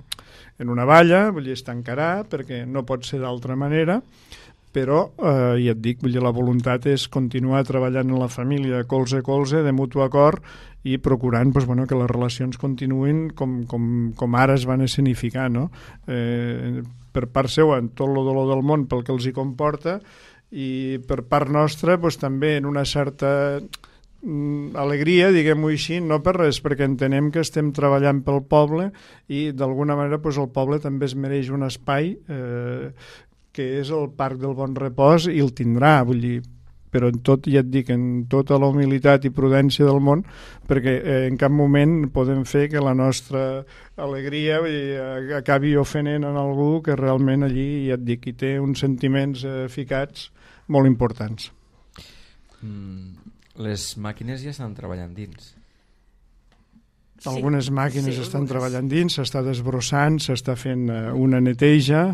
en una valla, vull dir, es tancarà, perquè no pot ser d'altra manera, però, eh, ja et dic, vull dir, la voluntat és continuar treballant en la família colze a colze, de mutu acord, i procurant doncs, bueno, que les relacions continuïn com, com, com ara es van escenificar, no? Eh, per part seva, en tot el dolor del món pel que els hi comporta, i per part nostra doncs, també en una certa mm, alegria, diguem-ho així, no per res, perquè entenem que estem treballant pel poble i d'alguna manera doncs, el poble també es mereix un espai eh, que és el Parc del Bon Repòs, i el tindrà, vull dir, però en tot, ja et dic, en tota la humilitat i prudència del món, perquè eh, en cap moment podem fer que la nostra alegria vull dir, acabi ofenent en algú que realment allí, ja et dic, hi té uns sentiments eh, ficats molt importants. Mm, les màquines ja estan treballant dins. Algunes màquines sí, estan algunes. treballant dins, s'està desbrossant, s'està fent eh, una neteja,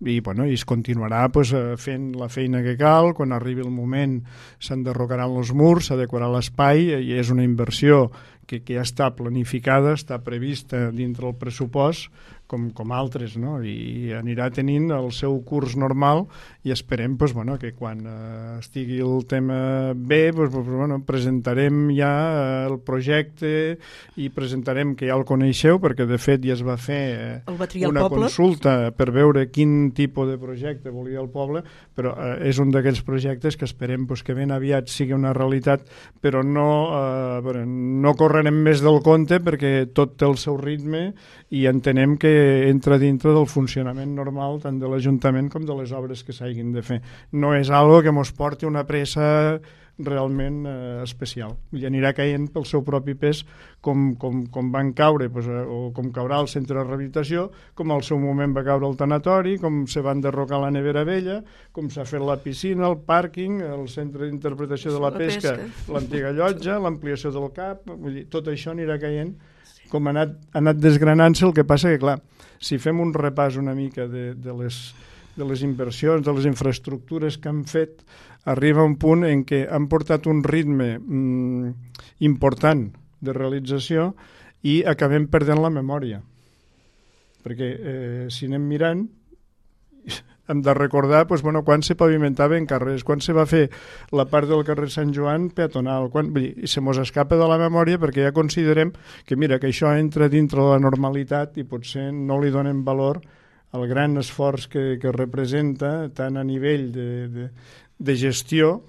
i, bueno, i es continuarà pues, fent la feina que cal. Quan arribi el moment s'enderrocaran els murs, s'adequarà l'espai, i és una inversió que, que ja està planificada, està prevista dintre el pressupost, com, com altres, no? I anirà tenint el seu curs normal i esperem pues, bueno, que quan eh, estigui el tema bé pues, pues, bueno, presentarem ja eh, el projecte i presentarem, que ja el coneixeu, perquè de fet ja es va fer eh, una consulta per veure quin tipus de projecte volia el poble, però eh, és un d'aquells projectes que esperem pues, que ben aviat sigui una realitat, però no, eh, bueno, no correrem més del compte perquè tot té el seu ritme i entenem que entra dintre del funcionament normal tant de l'Ajuntament com de les obres que s'hagin de fer. No és algo que mos porti una pressa realment eh, especial. I anirà caient pel seu propi pes com, com, com van caure, pues, eh, o com caurà el centre de rehabilitació, com al seu moment va caure el tanatori, com se van derrocar la nevera vella, com s'ha fet la piscina, el pàrquing, el centre d'interpretació de la, la pesca, pesca. l'antiga llotja, l'ampliació del CAP, vull dir, tot això anirà caient com ha anat, ha anat desgranant-se. El que passa que, clar, si fem un repàs una mica de, de, les, de les inversions, de les infraestructures que han fet, arriba un punt en què han portat un ritme mm, important de realització i acabem perdent la memòria. Perquè eh, si anem mirant, hem de recordar pues, bueno, quan se pavimentaven carrers, quan se va fer la part del carrer Sant Joan peatonal, quan, vull dir, se mos escapa de la memòria perquè ja considerem que mira que això entra dintre de la normalitat i potser no li donem valor al gran esforç que, que representa tant a nivell de, de, de gestió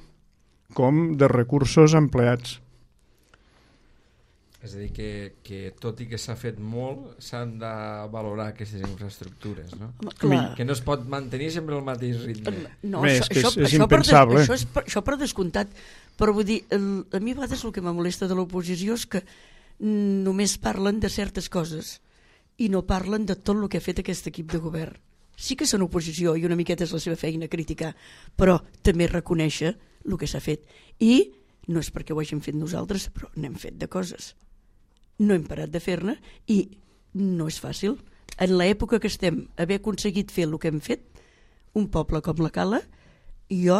com de recursos empleats. És a dir, que, que tot i que s'ha fet molt, s'han de valorar aquestes infraestructures, no? Home, que no es pot mantenir sempre el mateix ritme. No, Bé, això, és, això, és això impensable. Per des, això, és per, això per descomptat. Però vull dir, el, a mi a vegades el que me molesta de l'oposició és que només parlen de certes coses i no parlen de tot el que ha fet aquest equip de govern. Sí que són oposició i una miqueta és la seva feina criticar, però també reconèixer el que s'ha fet. I no és perquè ho hàgim fet nosaltres, però n'hem fet de coses. No hem parat de fer-ne i no és fàcil. En l'època que estem, haver aconseguit fer el que hem fet, un poble com la Cala, jo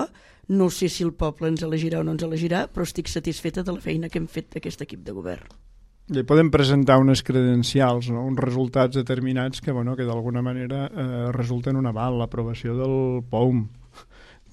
no sé si el poble ens elegirà o no ens elegirà, però estic satisfeta de la feina que hem fet d'aquest equip de govern. I podem presentar unes credencials, no? Uns resultats determinats que, bueno, que d'alguna manera eh, resulten un aval, l'aprovació del P O U M.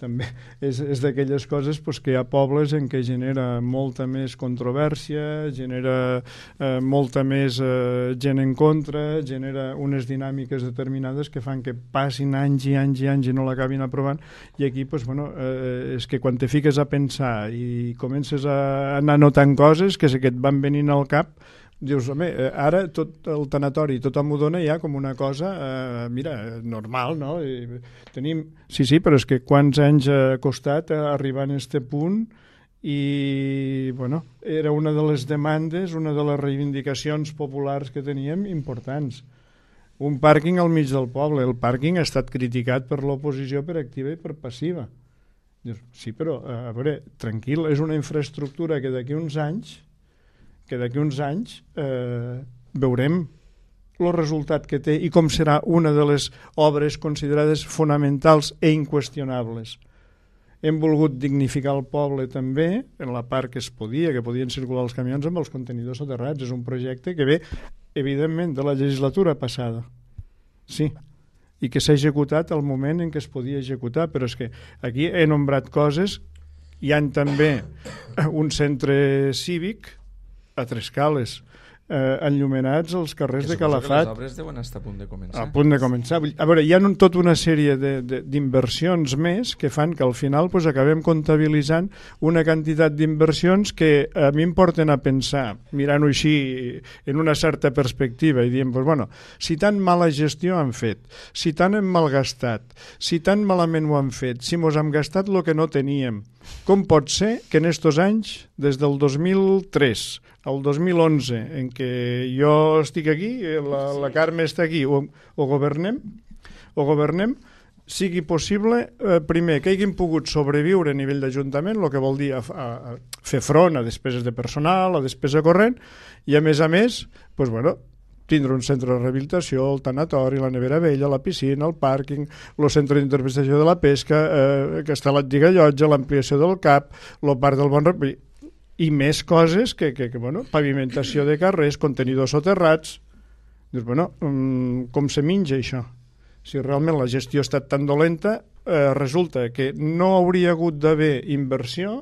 També és, és d'aquelles coses pues, que hi ha pobles en què genera molta més controvèrsia, genera eh, molta més eh, gent en contra, genera unes dinàmiques determinades que fan que passin anys i anys i anys i no l'acabin aprovant, i aquí pues, bueno, eh, és que quan te fiques a pensar i comences a anar notant coses que, que et van venint al cap, dius, home, ara tot el tanatori, tothom ho dona ja com una cosa, eh, mira, normal, no? I tenim... Sí, sí, però és que quants anys ha costat arribar a aquest punt i, bueno, era una de les demandes, una de les reivindicacions populars que teníem importants. Un pàrquing al mig del poble. El pàrquing ha estat criticat per l'oposició per activa i per passiva. Dius, sí, però, a veure, tranquil, és una infraestructura que d'aquí uns anys que d'aquí uns anys eh, veurem el resultat que té i com serà una de les obres considerades fonamentals i inqüestionables. Hem volgut dignificar el poble també en la part que es podia, que podien circular els camions amb els contenidors soterrats. És un projecte que ve, evidentment, de la legislatura passada. Sí, i que s'ha executat al moment en què es podia executar, però és que aquí he nombrat coses. Hi ha també un centre cívic a Trescales, eh, enllumenats els carrers de Calafat. Les obres deuen estar a punt de començar. A punt de començar. A veure, hi ha un, tota una sèrie d'inversions més que fan que al final pues, acabem comptabilitzant una quantitat d'inversions que a mi em porten a pensar, mirant-ho així en una certa perspectiva i dient, pues, bueno, si tan mala gestió han fet, si tant hem malgastat, si tan malament ho han fet, si mos hem gastat el que no teníem, com pot ser que en estos anys, des del dos mil tres al dos mil onze, en què jo estic aquí, la, la Carme està aquí, o, o governem, o governem, sigui possible, eh, primer, que hagin pogut sobreviure a nivell d'Ajuntament, el que vol dir a, a, a fer front a despeses de personal, a despesa corrent, i a més a més, pues, bueno, tindre un centre de rehabilitació, el tanatori, la nevera vella, la piscina, el pàrquing, el centre d'interpretació de la pesca, eh, que està l'antiga llotja, l'ampliació del CAP, el parc del Bon Rep, i més coses que, que, que bueno, pavimentació de carrers, contenidors soterrats. Dius, bueno, com se menja això? Si realment la gestió ha estat tan dolenta, eh, resulta que no hauria hagut d'haver inversió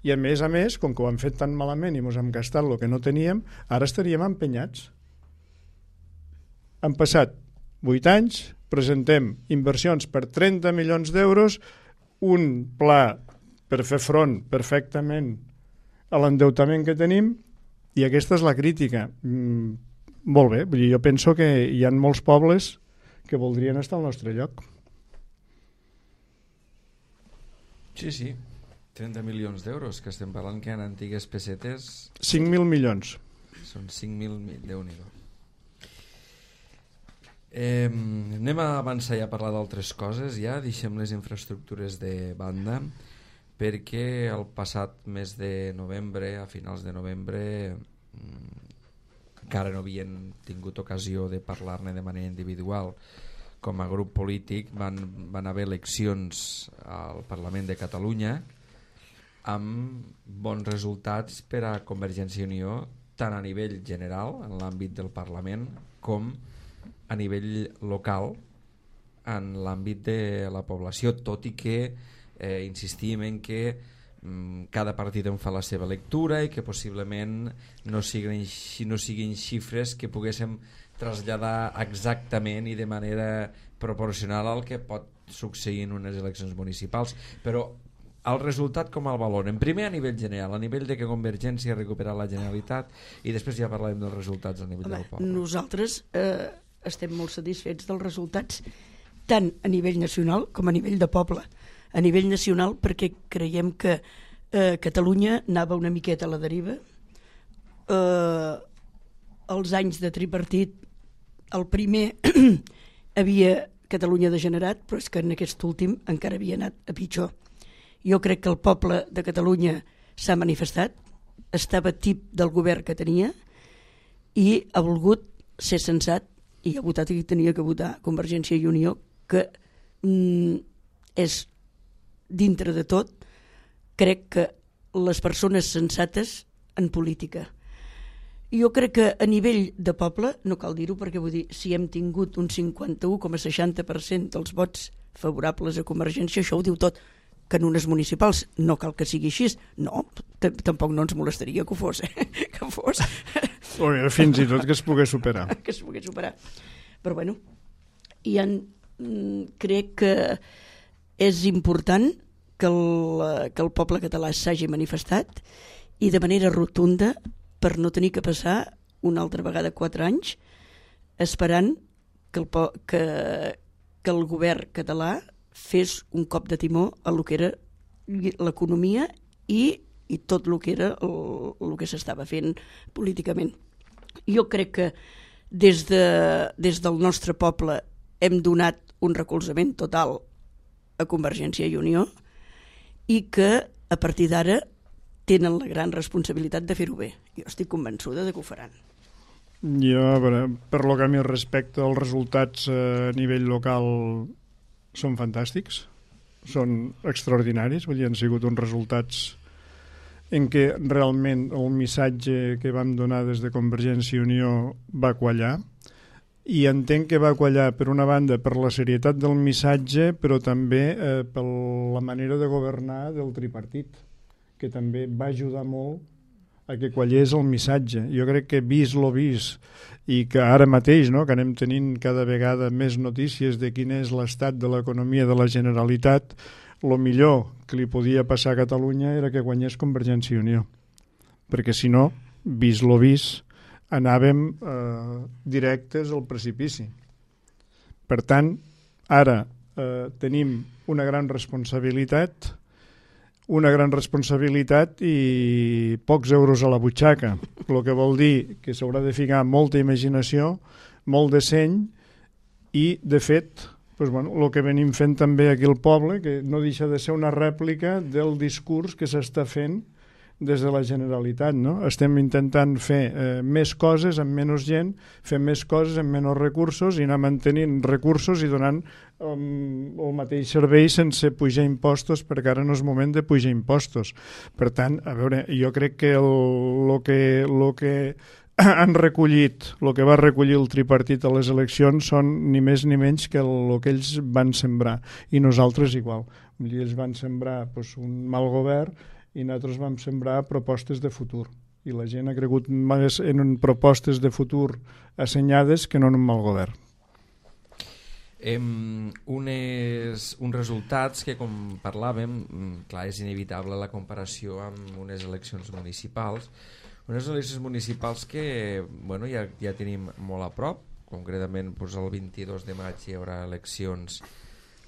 i, a més a més, com que ho hem fet tan malament i ens hem gastat el que no teníem, ara estaríem empenyats. Han passat vuit anys, presentem inversions per trenta milions d'euros, un pla per fer front perfectament a l'endeutament que tenim, i aquesta és la crítica. Mm, molt bé, vull dir, jo penso que hi ha molts pobles que voldrien estar al nostre lloc. Sí, sí, trenta milions d'euros, que estem parlant que en antigues pessetes... cinc mil milions. Són cinc mil, Déu-n'hi-do. Eh, anem a avançar ja a parlar d'altres coses, ja deixem les infraestructures de banda, perquè el passat mes de novembre, a finals de novembre, encara no havien tingut ocasió de parlar-ne de manera individual. Com a grup polític van, van haver eleccions al Parlament de Catalunya amb bons resultats per a Convergència i Unió, tant a nivell general, en l'àmbit del Parlament, com a nivell local, en l'àmbit de la població, tot i que eh, insistim en que mm, cada partit en fa la seva lectura i que possiblement no siguin, no siguin xifres que poguéssim traslladar exactament i de manera proporcional al que pot succeir en unes eleccions municipals, però el resultat com el valoren? Primer a nivell general, a nivell de que Convergència ha recuperat la Generalitat, i després ja parlarem dels resultats a nivell Home, del poble. Nosaltres eh, estem molt satisfets dels resultats tant a nivell nacional com a nivell de poble. A nivell nacional perquè creiem que eh, Catalunya anava una miqueta a la deriva. Eh, els anys de tripartit, el primer havia Catalunya degenerat, però és que en aquest últim encara havia anat a pitjor. Jo crec que el poble de Catalunya s'ha manifestat, estava tip del govern que tenia i ha volgut ser sensat i ha votat i tenia que votar Convergència i Unió, que mm, és dintre de tot, crec que les persones sensates en política. Jo crec que a nivell de poble, no cal dir-ho perquè vull dir, si hem tingut un cinquanta-u coma seixanta per cent dels vots favorables a Convergència, això ho diu tot. Que en unes municipals no cal que sigui així, no, tampoc no ens molestaria que ho fos, eh? que fos. O fins i tot que es pogués superar. que es pogués superar. Però bueno, hi ha, crec que és important que el, que el poble català s'hagi manifestat i de manera rotunda per no tenir que passar una altra vegada quatre anys esperant que el, que, que el govern català fes un cop de timó a lo que era l'economia i, i tot el que era el, el que s'estava fent políticament. Jo crec que des, de, des del nostre poble hem donat un recolzament total a Convergència i Unió i que a partir d'ara tenen la gran responsabilitat de fer-ho bé. Jo estic convençuda de que ho faran. Jo, per, per lo que a mi respecta, els resultats a nivell local són fantàstics, són extraordinaris, vull dir, han sigut uns resultats en què realment el missatge que vam donar des de Convergència i Unió va quallar, i entenc que va quallar per una banda per la serietat del missatge, però també eh, per la manera de governar del tripartit, que també va ajudar molt a que quallés el missatge. Jo crec que vist lo vist i que ara mateix, no, que anem tenint cada vegada més notícies de quin és l'estat de l'economia de la Generalitat, el millor que li podia passar a Catalunya era que guanyés Convergència i Unió, perquè si no, vist lo vist, anàvem eh, directes al precipici. Per tant, ara eh, tenim una gran responsabilitat una gran responsabilitat i pocs euros a la butxaca, el que vol dir que s'haurà de ficar molta imaginació, molt de seny i, de fet, doncs, bueno, el que venim fent també aquí al poble, que no deixa de ser una rèplica del discurs que s'està fent des de la Generalitat, no? Estem intentant fer eh, més coses amb menys gent, fer més coses amb menys recursos i anar mantenint recursos i donant um, el mateix servei sense pujar impostos, perquè ara no és moment de pujar impostos. Per tant, a veure, jo crec que el, lo que, lo que han recollit, el que va recollir el tripartit a les eleccions són ni més ni menys que el, el que ells van sembrar, i nosaltres igual. Ells van sembrar doncs, un mal govern i nosaltres vam sembrar propostes de futur, i la gent ha cregut més en propostes de futur assenyades que no en un mal govern. Em, unes, uns resultats que, com parlàvem, clar, és inevitable la comparació amb unes eleccions municipals, unes eleccions municipals que bueno, ja, ja tenim molt a prop. Concretament doncs, el vint-i-dos de maig hi haurà eleccions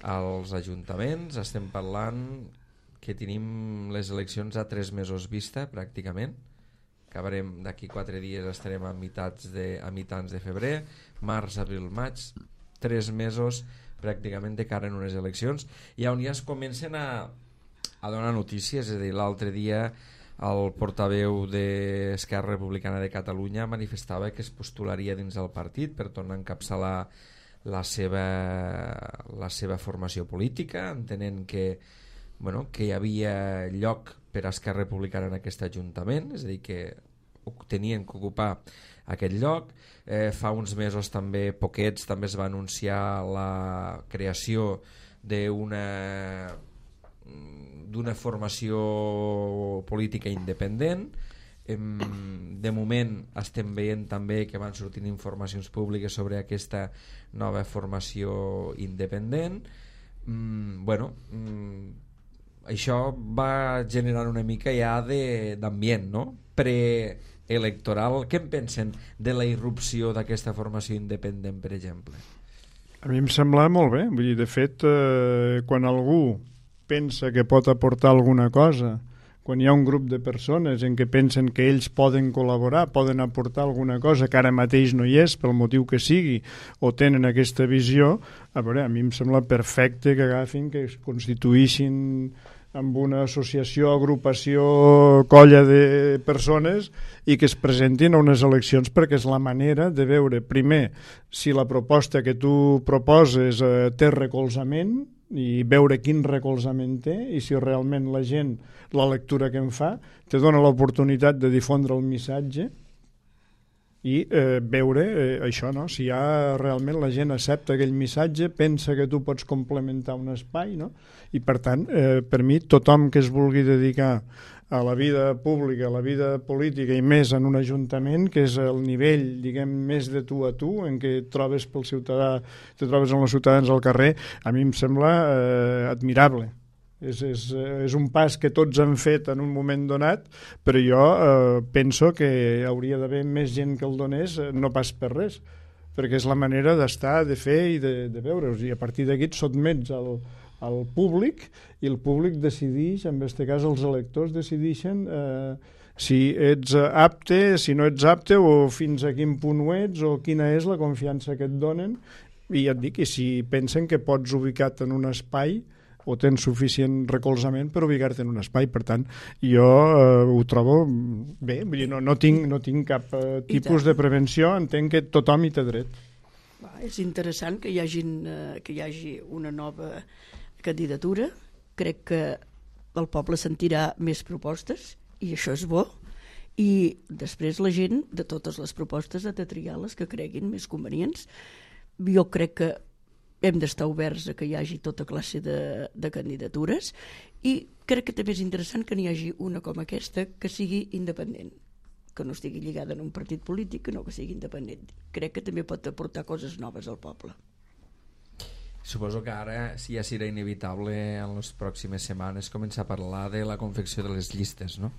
als ajuntaments. Estem parlant que tenim les eleccions a tres mesos vista pràcticament. Acabarem d'aquí quatre dies, estarem a mitats de, a mitjans de febrer, març, abril, maig, tres mesos pràcticament de cara en unes eleccions, i on ja es comencen a, a donar notícies. És a dir, l'altre dia el portaveu d'Esquerra Republicana de Catalunya manifestava que es postularia dins del partit per tornar a encapçalar la seva, la seva formació política, entenent que, bueno, que hi havia lloc per a Esquerra Republicana en aquest ajuntament, és a dir, que tenien que ocupar aquest lloc. Eh, fa uns mesos també, poquets, també es va anunciar la creació d'una d'una formació política independent. De moment estem veient també que van sortint informacions públiques sobre aquesta nova formació independent. Mm, bueno, mm, això va generar una mica ja d'ambient, no? Preelectoral. Què en pensen de la irrupció d'aquesta formació independent, per exemple? A mi em sembla molt bé. Vull dir, de fet, eh, quan algú pensa que pot aportar alguna cosa, quan hi ha un grup de persones en què pensen que ells poden col·laborar, poden aportar alguna cosa que ara mateix no hi és, pel motiu que sigui, o tenen aquesta visió, a veure, a mi em sembla perfecte que agafin, que es constituïssin amb una associació, agrupació, colla de persones i que es presentin a unes eleccions, perquè és la manera de veure, primer, si la proposta que tu proposes eh, té recolzament, i veure quin recolzament té, i si realment la gent, la lectura que en fa, te dona l'oportunitat de difondre el missatge i eh, veure eh, això, no? Si ja realment la gent accepta aquell missatge, pensa que tu pots complementar un espai, no? I per tant, eh, per mi, tothom que es vulgui dedicar a la vida pública, a la vida política i més en un ajuntament, que és el nivell, diguem, més de tu a tu, en què et trobes pel ciutadà, te trobes amb els ciutadans al carrer, a mi em sembla eh, admirable. És, és, és un pas que tots han fet en un moment donat, però jo eh, penso que hauria d'haver més gent que el donés, no pas per res, perquè és la manera d'estar, de fer i de, de veure. I a partir d'aquí et sotmets al, al públic, i el públic decideix, en aquest cas els electors decideixen eh, si ets apte, si no ets apte, o fins a quin punt ho ets, o quina és la confiança que et donen, i ja et dic que si pensen que pots ubicar-te en un espai o tens suficient recolzament per ubicar-te en un espai. Per tant, jo eh, ho trobo bé, vull dir, no, no, tinc, no tinc cap eh, tipus de prevenció, entenc que tothom hi té dret. Va, és interessant que hi, hagin, eh, que hi hagi una nova candidatura. Crec que el poble sentirà més propostes, i això és bo, i després la gent de totes les propostes ha de triar les que creguin més convenients. Jo crec que hem d'estar oberts a que hi hagi tota classe de, de candidatures, i crec que també és interessant que n'hi hagi una com aquesta que sigui independent, que no estigui lligada en un partit polític, que no que sigui independent. Crec que també pot aportar coses noves al poble. Suposo que ara sí, ja serà inevitable en les pròximes setmanes començar a parlar de la confecció de les llistes, no?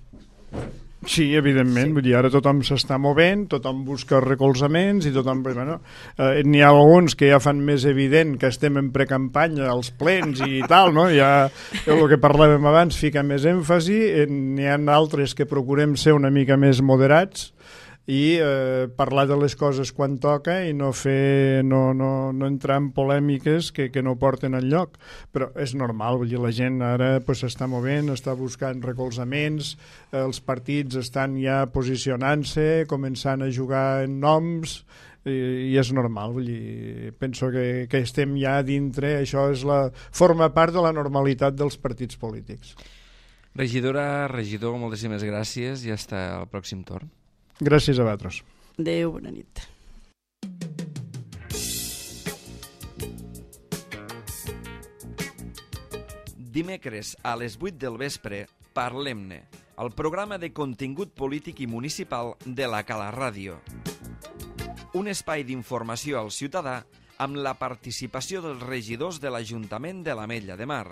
Sí, evidentment, sí. Vull dir, ara tothom s'està movent, tothom busca recolzaments i tothom... Bueno, eh, n'hi ha alguns que ja fan més evident que estem en precampanya als plens i tal, no? Ja el que parlàvem abans fica més èmfasi, n'hi ha altres que procurem ser una mica més moderats, i eh, parlar de les coses quan toca i no fer no, no, no entrar en polèmiques que, que no porten enlloc. Però és normal, vull dir, la gent ara pues, s'està movent, està buscant recolzaments, els partits estan ja posicionant-se, començant a jugar en noms, i, i és normal, vull dir, penso que, que estem ja dintre, això és la, forma part de la normalitat dels partits polítics. Regidora, regidor, moltíssimes gràcies i fins al pròxim torn. Gràcies a vosaltres. Adéu, bona nit. Dimecres a les vuit del vespre, Parlem-ne, el programa de contingut polític i municipal de la Cala Ràdio. Un espai d'informació al ciutadà amb la participació dels regidors de l'Ajuntament de l'Ametlla de Mar.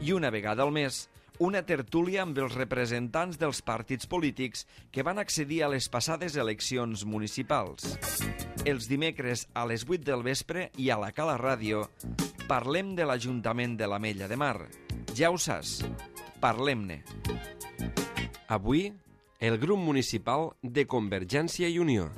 I una vegada al mes, una tertúlia amb els representants dels partits polítics que van accedir a les passades eleccions municipals. Els dimecres a les vuit del vespre i a la Cala Ràdio parlem de l'Ajuntament de l'Ametlla de Mar. Ja ho saps, parlem-ne. Avui, el grup municipal de Convergència i Unió.